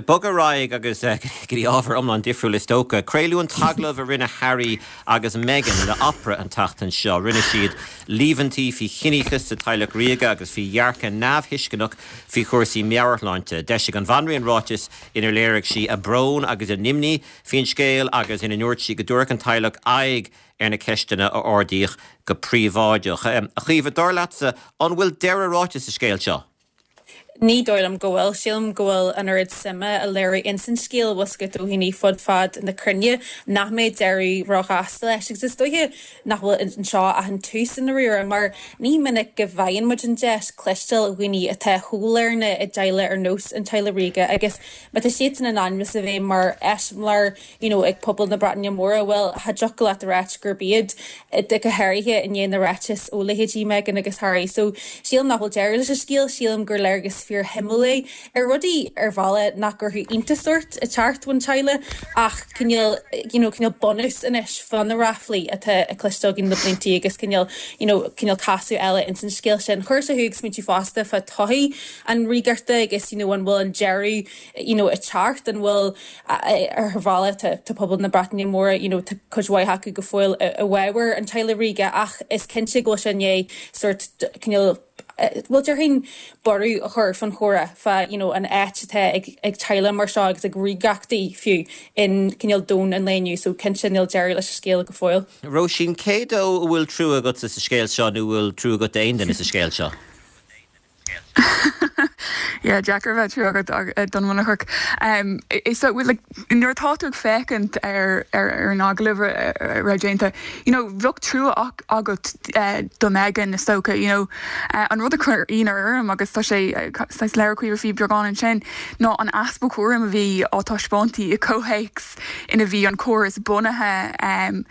Bogadh ar aghaidh agus go dtí ábhar iomlán difriúil is dócha. Craoladh an t-agallamh a rinne Harry agus Meghan le Oprah an tseachtain seo. Rinne siad líomhaintí faoi chiníochas sa teaghlach ríoga agus faoi dhearcadh neamhthuisceanach faoi chúrsaí meabhairshláinte. D'eisigh an Bhanríon ráiteas inar léirigh sí a brón agus a n-imní faoin scéal agus ina ndúirt sí go dtabharfadh an teaghlach aghaidh ar na ceisteanna a ardaíodh go príobháideach. A Chaoimhe, dar leatsa, an bhfuil deireadh ráite sa scéal seo? Ní dóigh liom go bhfuil. Sílim go bhfuil an oiread suime á léiriú ins an scéal, bhfuil 's agat, ó dhaoine fud fad na cruinne, nach mbeidh deireadh róghasta leis. Agus is dóiche nach bhfuil anseo ach an tús i ndáiríre, mar ní minic go bhfaigheann muid an deis cloisteáil ó dhaoine atá chomh lárnach i dteaghlach ar nós an teaghlaigh ríoga agus má tá siadsan in ainm is a bheith mar eiseamláir you know ag pobal na Breataine Móire, bhuel, cha dtiocfadh leat a ráit gurb iad, go háirithe i ndiaidh na ráiteas ó leithéidí Meghan agus Harry. So, sílim nach bhfuil deireadh leis an scéal, sílim gur léargas fíorshuimiúil é ar rudaí ar bhealach nach gcuirfeadh iontas ort ag teacht ón teaghlach ach cineál, you know, cineál bunús anois fá na ráflaí atá á cloisteáil againn le bliantaí agus cineál, you know, cineál casadh eile ins an scéal sin. Chuir sé thú ag smaointiú fosta fá todhchaí an ríogartha agus, you know, an bhfuil an deireadh, you know, ag teacht, an bhfuil Ar bhealach tá pobal na Breataine Móire, you know, tá cuid mhaith acu go fóill i bhfabhar an teaghlaigh ríoga ach is cinnte go bhfuil sé i ndiaidh sórt cineál. Bhuel, déarfainn borradh a chur fán chomhrá fá you know an áit atá ag ag teaghlaigh mar seo agus ag ríogachtaí fiú in cineál domhan an lae inniu so cinnte níl deireadh leis an scéal go fóill. Róisín, cé dó a bhfuil trua agatsa sa scéal seo nó an bhfuil trua agat d'aon duine sa scéal seo? Yeah, deacair a bheith trua agat don Mhonarchach. Is so, like, nuair atá tú ag féachaint ar ar an agallamh a raibh déanta, you know, bheadh trua agat do Meghan, is dócha, you know. An rud a chuir ionadh orm, agus tá sé saghas labhair Caoimhe faoi beagán ansin, ná an easpa cúraim a bhí á taispeáint i gcomhthéacs ina bhí an córas bunaithe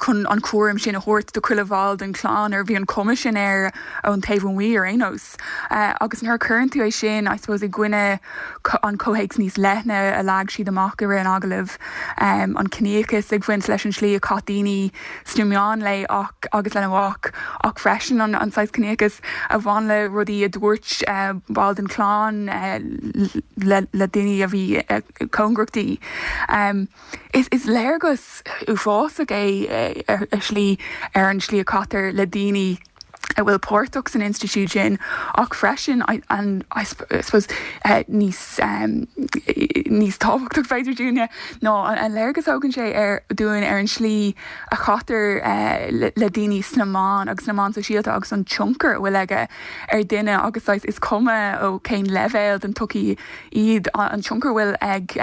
chun an cúram sin a thabhairt do chuile bhall den chlann, ar bhí an chuma sin air ón taobh amuigh ar aon nós. Agus nuair a chuireann tú é sin, I suppose, i gcoinne an comhthéacs níos leithne a leag siad amach i rith an agallaimh, an ciníochas ag baint leis an slí a chaith daoine sna meáin léi ach agus lena mac, ach freisin an saghas ciníochas a bhain le rudaí a dúirt baill den chlann le daoine a bhí cóngarach di. Is léargas uafásach é ar shlí ar an slí a chaitear le daoine a bhfuil páirteach san institiúid sin ach freisin an I suppose níos níos tábhachtach b'fhéidir dúinne ná an léargas a thugann sé ar dúinn ar an slí a chaitear le daoine sna meáin agus sna meáin sóisialta agus an tionchar a bhfuil aige ar dhuine agus saghas is cuma ó cén leibhéal den tsochaí iad an tionchar a bhfuil ag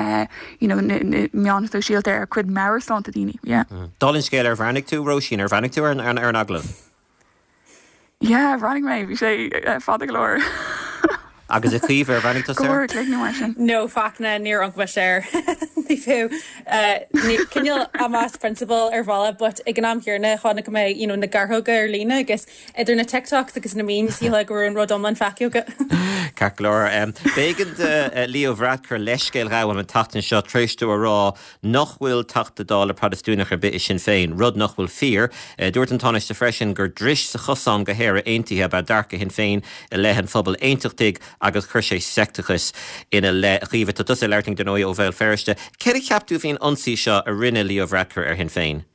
you know na meáin sóisialta ar chuid meabhairshláinte daoine. Yeah. Dála an scéil, ar bhreathnaigh tú, Róisín, ar bhreathnaigh tú ar an agallamh? Yeah, bhreathnaigh mé, bhí sé fada go leor. Agus a Chaoimhe, ar bhreathnaigh tusa air? Go leor cloigne mar sin. No, faic ná níor amharc mise air. Ní fiú. Cineál amas prionsabal ar bhealach but ag an am chéanna chonaic mé you know na gearrthóga ar líne agus Idir na TikToks agus na memes, shílfeá go raibh an rud iomlán feicthe agat. Ceart go leor. B'éigean do Leo Varadkar leithscéal a ghabháil an tseachtain seo tar éis dó a rá nach bhfuil Teachta Dála Protastúnach ar bith i Sinn Féin, rud nach bhfuil fíor. Dúirt an Tánaiste freisin gur dris sa chosán go hÉire Aontaithe ab ea dearcadh Shinn Féin i leith an phobail aontachtaigh agus chuir sé seicteachas ina leith. A Chaoimhe, tá tusa ag labhairt linn, dar ndóigh, ó Bhéal Feirste. Céard a cheap tú faoin ionsaí seo a rinne Leo Varadkar ar Shinn Féin?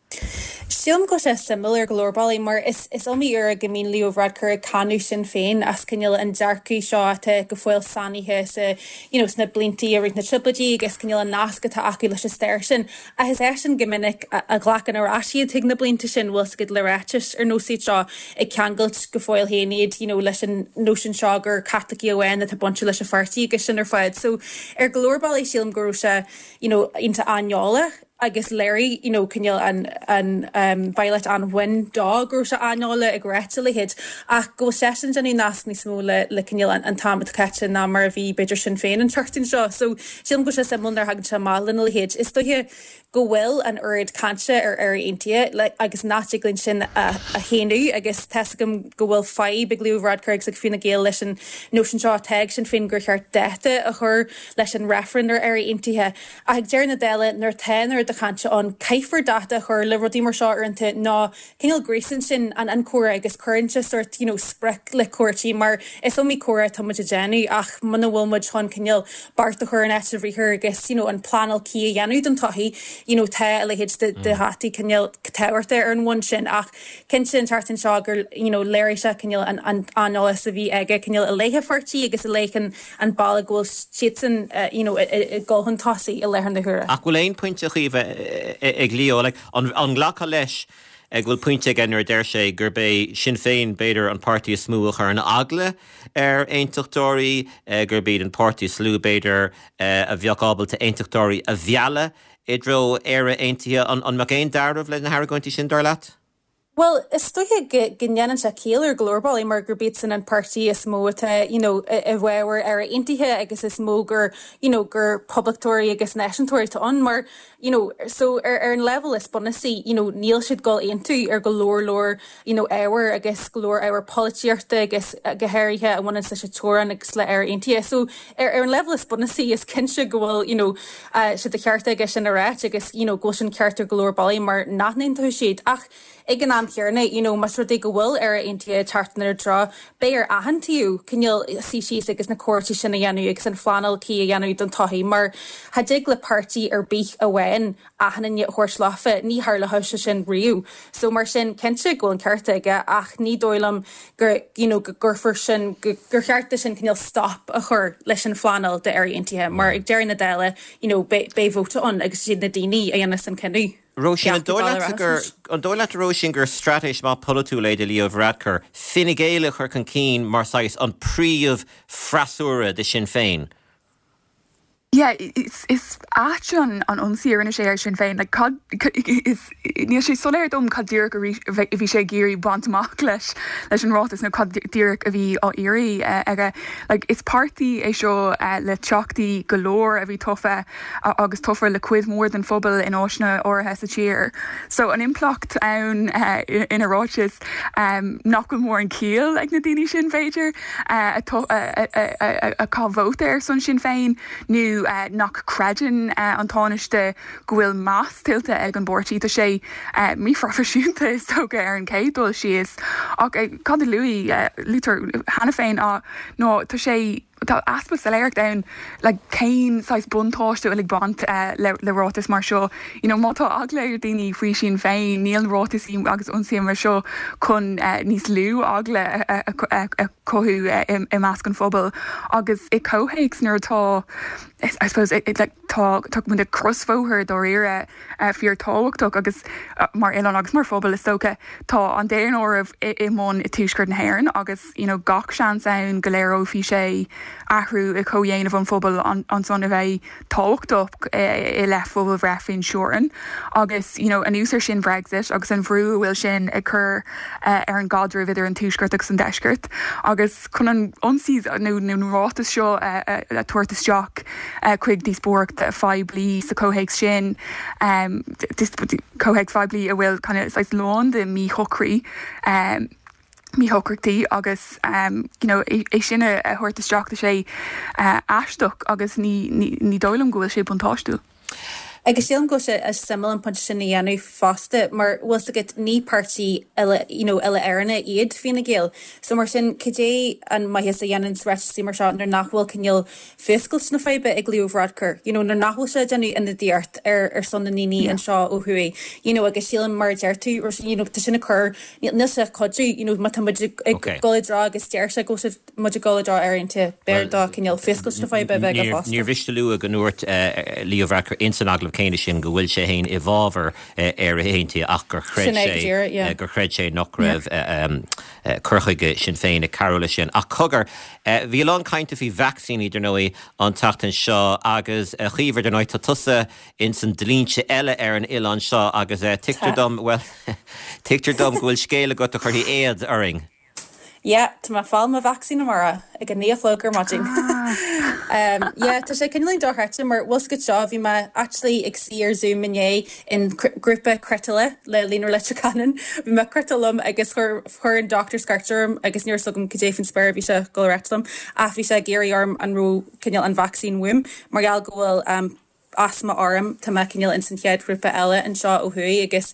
Sílim go bhfuil sé suimiúil ar go leor bealaí mar is is iomaí uair go mbíonn Leo Varadkar ag cáineadh Sinn Féin as cineál an dearcadh seo atá go fóill sainithe sa you know sna bliantaí i rith na Trioblóidí agus cineál an nasc atá acu leis an stair sin. Ach is eisean go minic a a ghlacann ar ais iad chuig na blianta sin, bhfuil 's agat le ráitis ar nós iad seo ag ceangailt go fóill féin iad you know leis an nóisean seo gur Caitlicigh amháin atá bainte leis an pháirtí agus sin ar fad. So ar go leor bealaí sílim go raibh sé you know iontach aineolach. agus léirigh you know cineál an an um Violet an-bhain dó go raibh sé aineolach ag ráit a leithéid ach go bhfuil seisean ag déanamh nasc níos mó le le cineál an an t-am atá caite ná mar a bhí b'fhéidir Sinn Féin an tseachtain seo. So sílim go bhfuil sé suimiúil nuair a thagann sé amach lena leithéid. Is dóiche go bhfuil an oiread cainte ar Éire Aontaithe le agus nach dtig linn sin a a shéanadh agus tá's agam go bhfuil fadhb ag Leo Varadkar agus ag Fine Gael leis an nóisean seo atá ag Sinn Féin gur cheart dáta a chur leis an reifreann ar Éire Aontaithe. Ach ag deireadh na dála, nuair atá an oiread de chainte ann, caithfear dáta a chur le rudaí mar seo uaireanta nó cineál gríosann sin an an comhrá agus cuireann sé sórt you know sprioc le comhráití mar is iomaí comhrá atá muid ag déanamh ach muna bhfuil muid chun cineál beart a chur in áit an bhriathair agus you know an pleanáil cuí a dhéanamh don todhchaí you know tá a leithéid de de dhátaí cineál tábhachtach ar an bhonn sin ach cinnte an tseachtain seo gur you know léirigh sé cineál an an aineolas a bhí aige cineál i leith a pháirtí agus i leith an an bealach go bhfuil siadsan you know ag dul chun tosaigh i láthair na huaire. Ach bhfuil aon pointe a Chaoimhe ag Leo? Like, an an nglacfá leis go bhfuil pointe aige nuair a deir sé gurb é Sinn Féin b'fhéidir an páirtí is mó a chuireann eagla ar aontachtóirí, gurb iad an páirtí is lú b'fhéidir a bheadh ábalta aontachtóirí a mhealladh i dtreo Éire Aontaithe. An an mbeadh aon dealramh leis na hargóintí sin, dar leat? Bhuel, is dóiche go go ndéanann sé ciall ar go leor bealaí mar gurb iadsan an páirtí is mó atá you know i bhfabhar Éire Aontaithe agus is mó gur you know gur poblachtóirí agus náisiúntóirí atá ann mar you know so ar ar an leibhéal is bunúsaí you know níl siad ag dul aontú ar go leor leor you know ábhar agus go leor ábhar polaitíochta agus go háirithe a bhaineann leis an teorainn agus le Éire Aontaithe. So ar ar an leibhéal is bunúsaí is cinnte go bhfuil you know sé de cheart aige sin a ráit agus you know go bhfuil sin ceart ar go leor bealaí mar nach n-aontóidh siad ach ag an am. am chéanna, you know, más rud é go bhfuil Éire Aontaithe ag teacht inár dtreo, beidh ar achan taobh cineál suí síos agus na comhráití sin a dhéanamh agus an phleanáil cuí a dhéanamh don todhchaí mar cha dtig le páirtí ar bith amháin achan duine a thabhairt leofa, ní tharlóidh sé sin riamh. So mar sin, cinnte go bhfuil an ceart aige ach ní dóigh liom gur, you know, go gcuirfear sin, gur cheart do sin cineál stop a chur leis an phleanáil d'Éire Aontaithe mar ag deireadh na dála, you know, beidh vóta ann agus is iad na daoine a dhéanfas an cinneadh. Róisín, an dóigh leatsa gur, an dóigh leat a Róisín gur straitéis maith polaitiúil é do Leo Varadkar Fine Gael a chur chun cinn mar saghas an príomh freasúra de Sinn Féin? Yeah, is is ait an an ionsaí a rinne sé ar Sinn Féin. Like cad is níl sé soiléir dom cad díreach a bhí sé ag iarraidh baint amach leis leis an ráiteas nó cad díreach a bhí á iarraidh aige. Like is páirtí é seo le teachtaí go leor a bhí tofa agus tofa le cuid mhór den phobal in áiteanna áirithe sa tír. So an impleacht ann ina ráiteas nach bhfuil mórán ciall ag na daoine sin b'fhéidir a chaith vóta ar son Sinn Féin nó nach gcreideann an Tánaiste go bhfuil meas tuillte ag an bpáirtí. Tá sé míphroifisiúnta is dócha ar an chéad dul síos ach cad a luaigh luaitear cheana féin ná tá sé Tá easpa soiléireacht ann like cén saghas buntáiste a bhfuil ag baint le le ráiteas mar seo. You know má tá eagla ar daoine faoi Sinn Féin, níl ráiteasaí agus ionsaithe mar seo chun níos lú eagla a chothú i measc an phobail. Agus i comhthéacs nuair atá I suppose like tá tá muid ag crosbhóthar dáiríre fíor tábhachtach agus mar oileán agus mar phobal is dócha tá an daonáireamh i mbun i tuaisceart na hÉireann agus you know gach seans ann go léireofaí sé athrú i comhdhéanamh an phobail ansan a bheidh tábhachtach i leith phobalbhreith faoin teorainn agus you know anuas ar sin Brexit agus an bhrú a bhfuil sin ag cur ar an gcaidreamh idir an tuaisceart agus an deisceart agus chun an ionsaí nó an ráiteas seo a thabhairt isteach chuig díospóireacht phoiblí sa chomhthéacs sin comhthéacs phoiblí a bhfuil kind of saghas lán de mhíshocraí míshocrachtaí agus you know é sin a thabhairt isteach tá sé aisteach agus ní ní dóigh liom go bhfuil sé buntáistiúil. Agus sílim go bhfuil sé suimiúil an pointe sin a dhéanamh fosta mar bhfuil 's agat ní páirtí uile you know uile Éireannach iad Fine Gael so mar sin cad é an maitheas a dhéanann ráitisí mar seo nuair nach bhfuil cineál fuascailt na faidhbe ag Leo Varadkar, you know, nuair nach bhfuil sé ag déanamh ionadaíocht ar ar son na ndaoine anseo ó thuaidh, you know, agus sílim mar a deir tú, Róisín, you know, tá sin ag cur, níl níl sé ag cuidiú, you know, má tá muid ag ag dul i dtreo agus deir sé go bhfuil muid ag dul i dtreo Éire Aontaithe, b'fhearr dó cineál fuascailt na faidhbe a bheith aige fosta. Níor mhiste a lua go ndúirt Leo Varadkar ins an agallamh céanna sin go bhfuil sé féin i bhfabhar Éire Aontaithe ach gur chreid sé gur chreid sé nach raibh cur chuige Sinn Féin ag cabhrú leis sin. Ach cogar, bhí a lán cainte faoi vacsaíní, dar ndóigh, an tseachtain seo agus, a Chaoimhe, dar ndóigh, tá tusa ins an dlínse eile ar an oileán seo agus tuigtear dom, bhuel, tuigtear dom go bhfuil scéal agat a chuirfidh éad orainn. Yeah, tá mé ag fáil mo vacsaín amárach ag a 9 a chlog ar maidin. Yeah, tá sé cineáilín dochreidte mar bhfuil 's agat seo, bhí mé actually ag suí ar Zoom inné in grúpa cniotála le Líonra Leitir Ceanainn. Bhí mé ag cniotáil liom agus chuir chuir an dochtúir scairt orm agus ní raibh 's agam cad é faoin spéir a bhí sé ag dul a ráit liom ach bhí sé ag iarraidh orm an raibh cineál an vacsaín uaim mar gheall go bhfuil asma orm tá mé cineál ins an chéad ghrúpa eile anseo ó thuaidh agus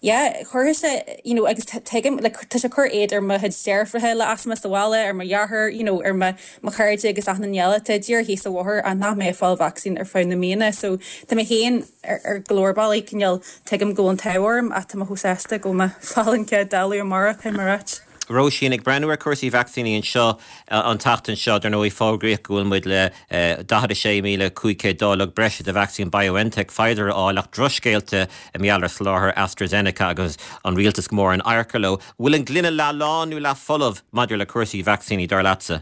yeah chuirfeadh sé you know agus tuigim like tá sé ag cur éad ar mo chuid deirfiúracha le asma sa bhaile ar mo dheartháir you know ar mo mo chairde agus achan duine eile atá díreach thíos an bhóthar ach nach mbeidh ag fáil vacsaín ar feadh na míonna so tá mé féin ar go leor bealaí cineál tuigim go bhfuil an t-ádh orm ach tá mé chomh sásta go bhfuil mé ag fáil an chéad dalladh amárach caithfidh mé a ráit. Róisín, ag breathnú ar cúrsaí vacsaíní anseo an tseachtain seo, dar ndóigh fógraíodh go bhfuil muid le 46,500 dáileog breise de vacsaín BioNTech Pfizer a fháil ach drochscéalta i ngeall ar soláthar AstraZeneca agus an rialtas go mór in adharca leo. Bhfuil an gloine leath lán nó leath folamh maidir le cúrsaí vacsaíní, dar leatsa?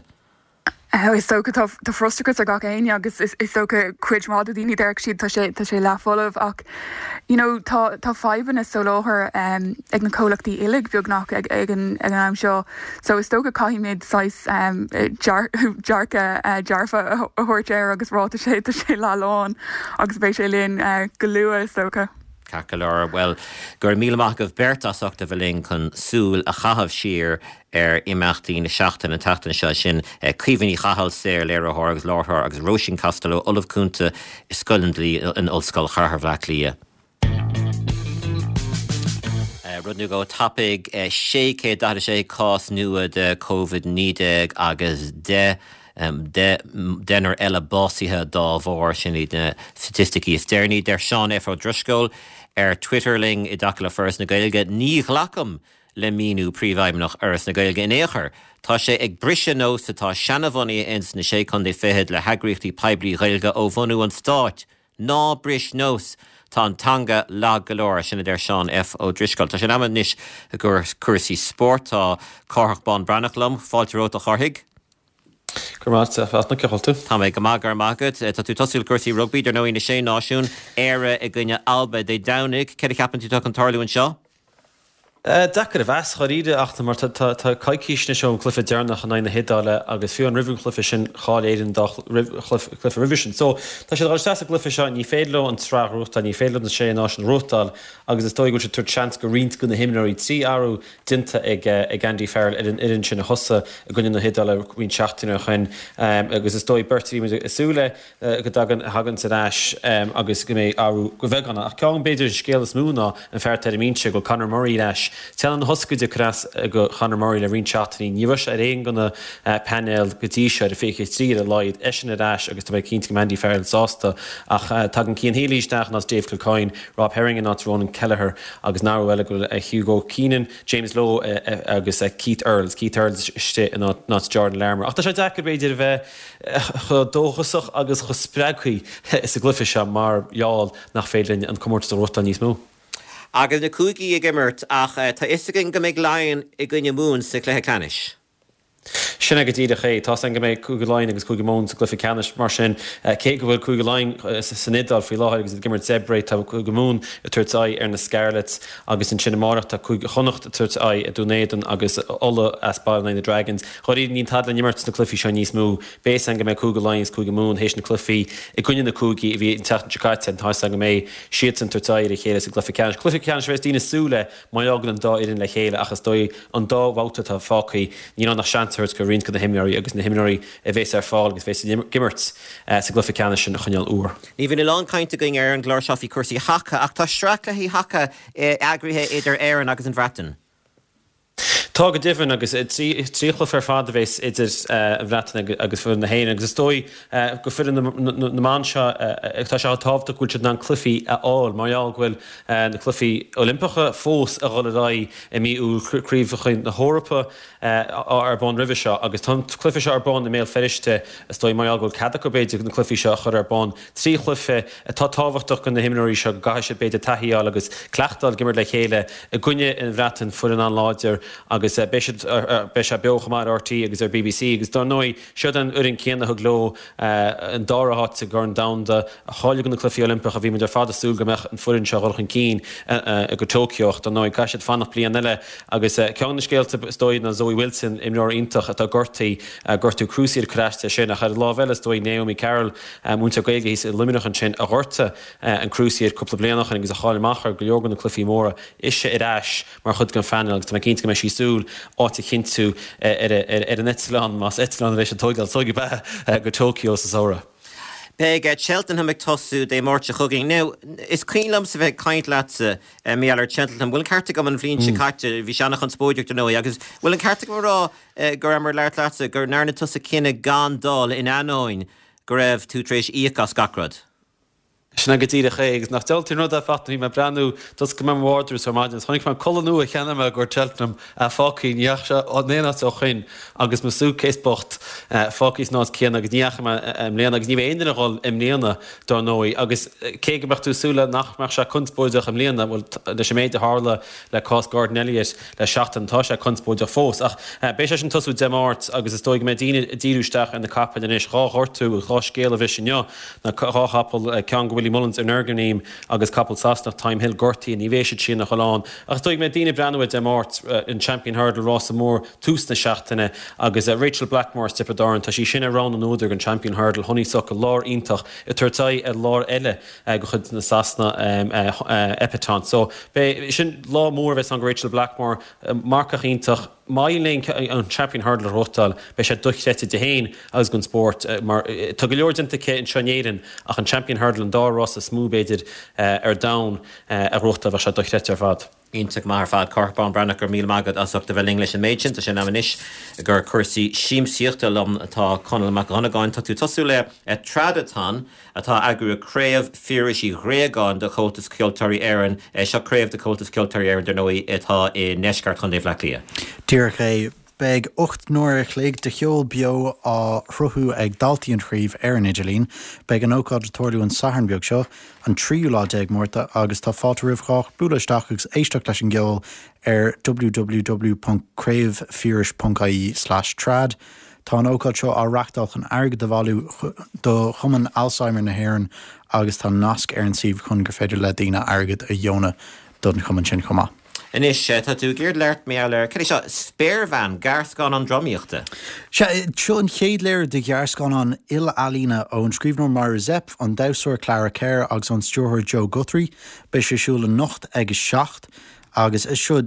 Is dócha tá frustrachas ar gach éinne agus is dócha cuid mhaith de daoine déarfadh siad tá sé tá sé leath folamh ach you know tá tá fadhbanna soláthair ag na comhlachtaí uilig beagnach ag ag an ag an am seo so is dócha caithfimid saghas dearcadh dearfa a thabhairt air agus rá tá sé tá sé leath lán agus beidh sé linn go luath is dócha. Ceart go leor, bhuel, go raibh míle maith agaibh beirt as ucht a bheith linn chun súil a chaitheamh siar ar imeachtaí na seachtaine an tseachtain seo, sin Caoimhe Ní Chathail, saor-léiritheoir agus láithreoir agus Róisín Costello, Ollamh Cúnta i Scoil an Dlí in Ollscoil Chathair Bhaile Átha Cliath. rud nó dhó tapaidh, 646 cás nua de Covid-19 agus 10 deichniúr eile básaithe dá bharr. Sin iad na staitisticí is deireanaí. Deir Seán F. Ó Drisceoil ar Twitter linn i dtaca le Foras na Gaeilge, Ní ghlacaim le míniú Príomhfheidhmeannach Fhoras na Gaeilge in aon chor. Tá sé ag briseadh nós atá seanabhunaithe ins na Sé Contae Fichead le heagraíochtaí poiblí Ghaeilge ó bhunú an stáit. Ná bris nós! Tá an teanga lag go leor, sin a deir Seán F. Ó Drisceoil. Tá sé in am anois i gcomhair cúrsaí spóirt. Tá Cárthach Bán Breathnach liom. Fáilte romhat a Chárthaigh. Go raibh maith agat, a Fhachtna, cén chaoi a bhfuil tú? Tá mé go maith, go raibh maith agat. Tá tú ag tosú le cúrsaí rugbaí, dar ndóigh, na Sé Náisiún, Éire i gcoinne Alba Dé Domhnaigh. Céard a cheapann tú atá chun tarlú anseo? Deacair a mheas, dháiríre, ach mar tá coicís anois ón gcluiche deireanach in aghaidh na hIodáile agus fiú amháin roimh an chluiche sin chaill Éire an dá chluiche roimhe sin. So, tá siad ag dul isteach sa gcluiche seo, ní féidir leo an tsraith a ghnóthachtáil, ní féidir leo na Sé Náisiún a ghnóthachtáil agus is dóigh go bhfuil siad ag tabhairt seans go roinnt de na himreoirí 3 athrú déanta ag Andy Farrell ar an fhoireann sin a thosaigh i gcoinne na hIodáile roinnt seachtainí ó shin agus is dóigh beirt a bhí muid ag súil le go dtagann, a thaganns ar ais agus go mbeidh athrú go bheag ann. Ach ceann, b'fhéidir, an scéal is mó ná an fear atá ar an mbinse, go bhfuil Conor Murray ar ais. Teannán na hioscaide curtha as go Conor Murray le roinnt seachtainí. Ní raibh sé ar aon de na painéil go dtí seo, ar an 23 ar a laghad. Eisean ar ais agus tá mé cinnte go mbeidh Andy Farrell sásta. Ach tagann Cian Healy isteach in áit Dave Kilcoyne, Rob Herring in áit Ronan Kelleher agus an athrú eile go bhfuil Hugo Keenan, James Lowe agus Keith Earls, Keith Earls istigh in áit Jordan Larmour. Ach tá sé deacair, b'fhéidir, a bheith chomh dóchasach agus chomh spreagtha sa gcluiche seo mar gheall nach féidir linn an comórtas a ghnóthachtáil níos mó. Agus na cúigí ag imirt ach tá fhios againn go mbeidh Laighin i gcoinne Mumhan sa chluiche ceannais. Sin é go díreach é. Tá's againn go mbeidh Cúige Laighean agus Cúige Mumhan sa gcluiche ceannais mar sin cé go bhfuil Cúige Laighean san Iodáil faoi láthair agus iad ag imirt Zebre tá Cúige Mumhan ag tabhairt aghaidh ar na Scarlets agus ansin amárach tá Cúige Chonnacht ag tabhairt aghaidh ar Dún Éideann agus Ulaidh as baile in aghaidh na Dragons. Dháiríre níl tada le n-imirt sna cluichí seo níos mó. Beidh 'fhios againn go mbeidh Cúige Laighean agus Cúige Mumhan théis na cluichí i gcoinne na cúigí a bhí an tseachtain seo caite. Tá 'fhios againn go mbeidh siadsan ag tabhairt aghaidh ar a chéile sa gcluiche ceannais. Cluiche ceannais a bheas daoine ag súil le má fhágann an dá fhoireann le chéile ach is dóigh an dá bhabhta atá fágtha níl ann ach seans a thabhairt go roinnt de na himreoirí agus na himreoirí a bheas ar fáil agus a bheas ag imirt sa gcluiche ceannais sin a choinneáil úr. Ní bhíonn a lán cainte againn ar an gclár seo faoi chúrsaí haca ach tá sraith cluichí haca eagraithe idir Éirinn agus an Bhreatain. Tá go deimhin, agus 3 chluiche ar fad a bheas idir an Bhreatain agus foireann na hÉireann agus is dóigh go foireann na mban seo tá sé tábhachtach go bhfuil siad in ann cluichí a fháil mar gheall go bhfuil na cluichí Oilimpeacha fós a dhul ar aghaidh i mí Iúil, Craobhacha na hEorpa ar bun roimhe seo agus tá an cluiche seo ar bun i mBéal Feirste is dóigh mar gheall go bhfuil cead acu b'fhéidir na cluichí seo a chur ar bun. 3 chluiche atá tábhachtach do na himreoirí seo go gcaithfidh siad b'fhéidir taithí a fháil agus cleachtadh a fháil ag imirt le chéile i gcoinne an Bhreatain, foireann an-láidir agus beidh siad, beidh sé beo chomh maith ar RTÉ agus ar bbc agus dar ndóigh siod an fhoireann céanna a thug leo an dara háit sa gCorn Domhanda, a cháiligh do na Cluichí Oilimpeacha. Bhí muid ar fad ag súil go mbeadh an foireann seo ag dul chun cinn go Tokyo ach dar ndóigh caithfidh siad fanacht bliain eile agus ceann de na scéalta is dóigh ná Zoe Wilson, imreoir iontach atá gortaithe, gortú cruciate ag cur as di sin ach ar an lámh eile is dóigh Naomi Carroll, Múinteoir Gaeilge thíos i Luimneach ansin a ghortaigh an cruciate cúpla bliain ó shin agus a chaill amach ar go leor de na cluichí móra. Ise ar ais mar chuid den phainéal agus tá mé cinnte go mbeidh sí ag súil áit a chinntiú ar an eitleán, más eitleán a bheidh siad ag tógáil, is dóigh gurb ea, go Tokyo sa samhradh. Beidh Cheltenham ag tosú Dé Máirt seo chugainn. Now, is cuimhin liomsa bheith ag caint leatsa mar gheall ar Cheltenham. Bhfuil an ceart agam an bhliain seo caite, bhí sé an-chonspóideach dar ndóigh, agus bhfuil an ceart agam a rá go rabhamar ag labhairt leatsa go ndearna tusa cinneadh gan dul in ainneoin go raibh tú tar éis íoc as gach rud. Sin é go díreach é, agus nach diabhaltaí an rud é Fachtna, bhí mé ag breathnú, d'oscail mé mo wardrobe ar maidin agus chonaic mé culaith nua a cheannaigh mé i gcomhair Cheltenham fágtha, ní dheachaigh sé in aon áit ó shoin agus mo suitcase bocht fágtha san áit céanna agus ní dheachaigh mé i mbliana agus ní bheidh aon duine ag dhul i mbliana dar ndóigh agus cé go mbeadh tú ag súil le nach mbeadh sé conspóideach i mbliana, bhuel leis an méid a tharla le cás Gordon Elliott le seachtain. Tá sé conspóideach fós. Ach beidh sé sin ag tosú Dé Máirt agus is dóigh go mbeidh daoine ag díriú isteach ar na capaill anois. Dhá ghortú agus dhá scéal a bhris inniu. Na dhá chapall, ceann go Willie Mullins Energumene agus capall Sasanach Thyme Hill gortaithe. Ní bheidh siad sin ag dhul ann. Ach is dóigh go mbeidh daoine ag breathnú ar Dé Máirt, an Champion Hurdle, rása mór tús na seachtaine agus Rachael Blackmore as Tiobraid Árann, tá sí sin ar rogha na n-údar don Champion Hurdle. Honeysuckle, láir iontach ag tabhairt aghaidh ar láir eile. de chuid na Sasana Epatante. So beidh, sin lá mór a bheas ann go Rachael Blackmore, marcach iontach. Má éiríonn léi an Champion Hurdle a ghnóthachtáil, beidh sé dochreidte di féin agus don spórt mar tá go leor déanta aici anseo in Éirinn ach an Champion Hurdle, an dara rás is mó b'fhéidir ar domhan, a ghnóthachtáil, bheadh sé dochreidte ar fad. Iontach maith ar fad, Cárthach Bán Breathnach, go raibh míle maith agat as ucht a bheith linn leis an méid sin. Tá sé in am anois gur cúrsaí siamsaíochta liom atá Conall Mac Dhonnagáin. Tá tú ag tosú le Tradathon atá á eagrú ag Craobh Phiarais Uí Ghréagáin de Chomhaltas Ceoltóirí Éireann. Seo craobh de Chomhaltas Ceoltóirí Éireann, dar ndóigh, atá i ndeisceart Chontae Bhaile Átha Cliath. Díreach é. Beidh 8 n-uair a chloig de cheol beo á shruthú ag daltaí an chraobh ar an idirlíon. Beidh an ócáid ag tarlú an Satharn beag seo, an tríú lá déag Márta, agus tá fáilte roimh chách bualadh isteach agus éisteacht leis an gceol ar www.craobhphiarais.ie/trad. Tá an ócáid seo á reachtáil chun airgead a bhailiú do Chumann Alzheimer na hÉireann agus tá nasc ar an suíomh chun gur féidir le daoine airgead a dheonadh don chumann sin chomh maith. Anois, tá tú ag iarraidh labhairt mar gheall ar, cad é seo, Spéirbhean, gearrscannán drámaíochta? Sea, seo an chéad léiriú de ghearrscannán il-ealaíne ón scríbhneoir Myra Zepf, an damhsóir Clara Kerr agus ón stiúrthóir Joe Guthrie. Beidh sé ar siúl anocht ag a 7 agus seo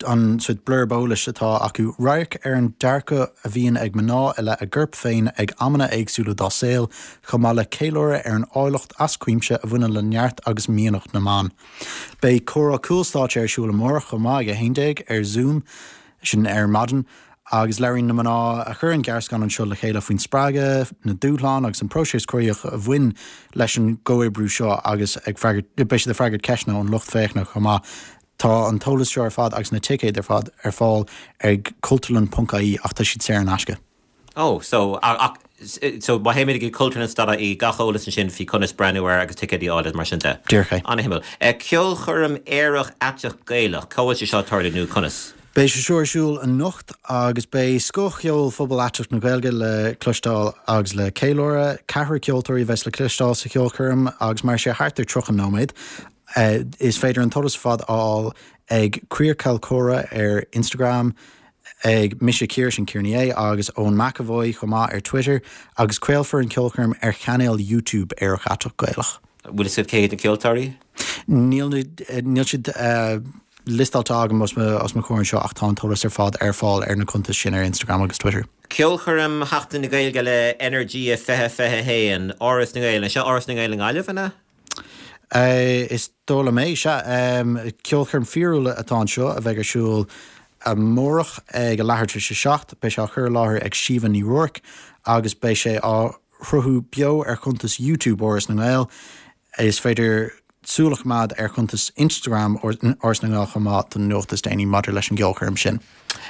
an sórt blurb eolais atá acu, Radharc ar an dearcadh a bhíonn ag mná i leith a gcorp féin ag amanna éagsúla dá saol, chomh maith le ceiliúradh ar an áilleacht as cuimse a bhaineann le neart agus mianach na mban. Beidh comhrá cúlstáitse ar siúl amárach chomh maith ag 11 ar Zoom, sin ar maidin, agus labhraíonn na mná a chuir an gearrscannán seo le chéile faoin spreagadh, na dúshláin agus an próiseas cruthaitheach a bhain leis an gcomhoibriú seo agus ag freagairt, beidh siad ag freagairt ceisteanna ón lucht féachana chomh maith. Tá an t-eolas seo ar fad agus na ticéid ar fad ar fáil ag cultúrlann.ie ach tá siad saor in aisce. Oh, so, ach, so má théimid go cultúrlann.ie, gach eolas ansin faoi conas breathnú air agus ticéidí a fháil agus mar sin de. Díreach é. An-shuimiúil. Ceolchoirm aerach aiteach Gaelach, cá bhfuil sé seo ag tarlú nó conas? Beidh sé seo ar siúl anocht agus beidh scothcheol phobal aiteach na Gaeilge le cloisteáil agus le ceiliúradh. Ceathrar ceoltóirí a bheas le cloisteáil sa cheolchoirm agus mairfidh sé thart ar 30 nóiméad. Is féidir an t-eolas ar fad a fháil ag Queer Ceolchoirm ar Instagram, ag Mise Ciara, sin Ciara Ní É, agus Eoin McEvoy chomh maith ar Twitter, agus craolfar an ceolchoirm ar chainéal YouTube Aerach Aiteach Gaelach. Bhfuil fhios agat cé hiad na ceoltóirí? Níl, níl siad liostáilte agam os mo, os mo chomhair anseo ach tá an t-eolas ar fad ar fáil ar na cuntais sin ar Instagram agus Twitter. Ceolchoirm Sheachtain na Gaeilge le Energia 2021, Áras na nGael. Seo Áras na Ngael i nGaillimh, an ea? Is dóigh liom é, sea. Ceolchoirm fíorúil atá anseo a bheidh ar siúl amárach ag a leathuair tar éis a 7. Beidh sé á chur i láthair ag Síomha Ní Ruairc agus beidh sé á shruthú beo ar chuntas YouTube Áras na nGael. Is féidir súil a choimeád ar chuntas Instagram Áras na nGael chomh maith don nuacht is déanaí maidir leis an gceolchoirm sin.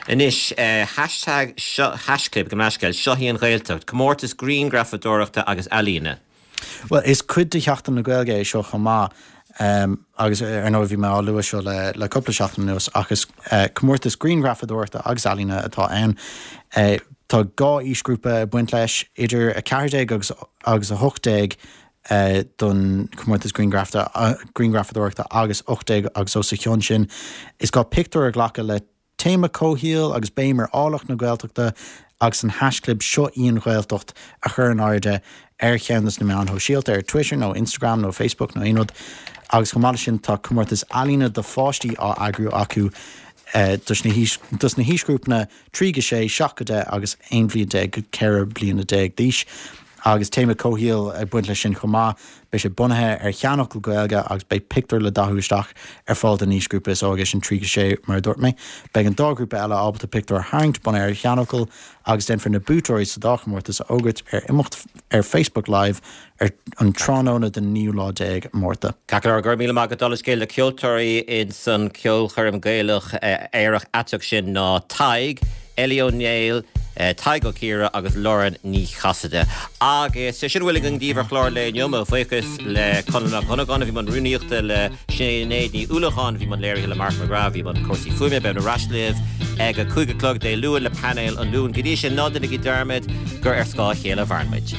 Anois, hashtag seo, haischlib, gabh mo leithscéal, Seo í an Ghaeltacht, comórtas grianghrafadóireachta agus ealaíne. Bhuel, is cuid de Sheachtain na Gaeilge é seo chomh maith agus ar ndóigh bhí mé á lua seo le cúpla seachtain anuas ach is comórtas grianghrafadóireachta agus ealaíne atá ann. Tá dhá aoisghrúpa ag baint leis, idir 14 agus agus 18 don chomórtas grianghrafadóireachta agus 18 agus os a chionn sin. Is gá pictiúr a ghlacadh le Téama comhshaoil agus béim ar áilleacht na Gaeltachta agus an haischlib Seo í an Ghaeltacht a chur in airde ar cheann de na meáin shóisialta, ar Twitter nó Instagram nó Facebook nó aon rud. Agus chomh maith leis sin tá comórtas ealaíne do pháistí á eagrú acu dos na haoisghrúpanna 3-6, 7-10 agus 11 bhliain go 14 bliana d'aois. Agus téama comhshaoil ag baint leis sin chomh maith. Beidh sé bunaithe ar sheanfhocal Gaeilge agus beidh pictiúr le dathú isteach ar fáil don aoisghrúpa is óige, sin 3-6 mar a dúirt mé. Beidh an dá ghrúpa eile ábalta pictiúr a tharraingt bunaithe ar sheanfhocal agus déanfar na buaiteoirí sa dá chomórtas a fhógairt ar imeacht ar Facebook Live ar an tráthnóna den naoú lá déag Márta. Ceart go leor, go raibh míle maith agat. Dála scéil, na ceoltóirí ins an ceolchoirm Gaelach aerach aiteach sin ná Tadhg, Ellie Ó Néill, Tadhg Ó Ciardha agus Lauren Ní Chasaide. Agus sin a bhfuil againn daoibh ar chlár an lae inniu. Mo bhuíochas le Conall Mac Dhonnagáin a bhí i mbun rúnaíochta, le Sinéad Ní Uallacháin a bhí i mbun léirithe, le Mark McGrath a bhí i mbun cúrsaí fuaime. Beimid ar ais libh ag a 5 a chlog Dé Luain le painéal an Luain. Go dtí sin, ná déanaigí dearmad gur ar scáth a chéile a mhaireann muid.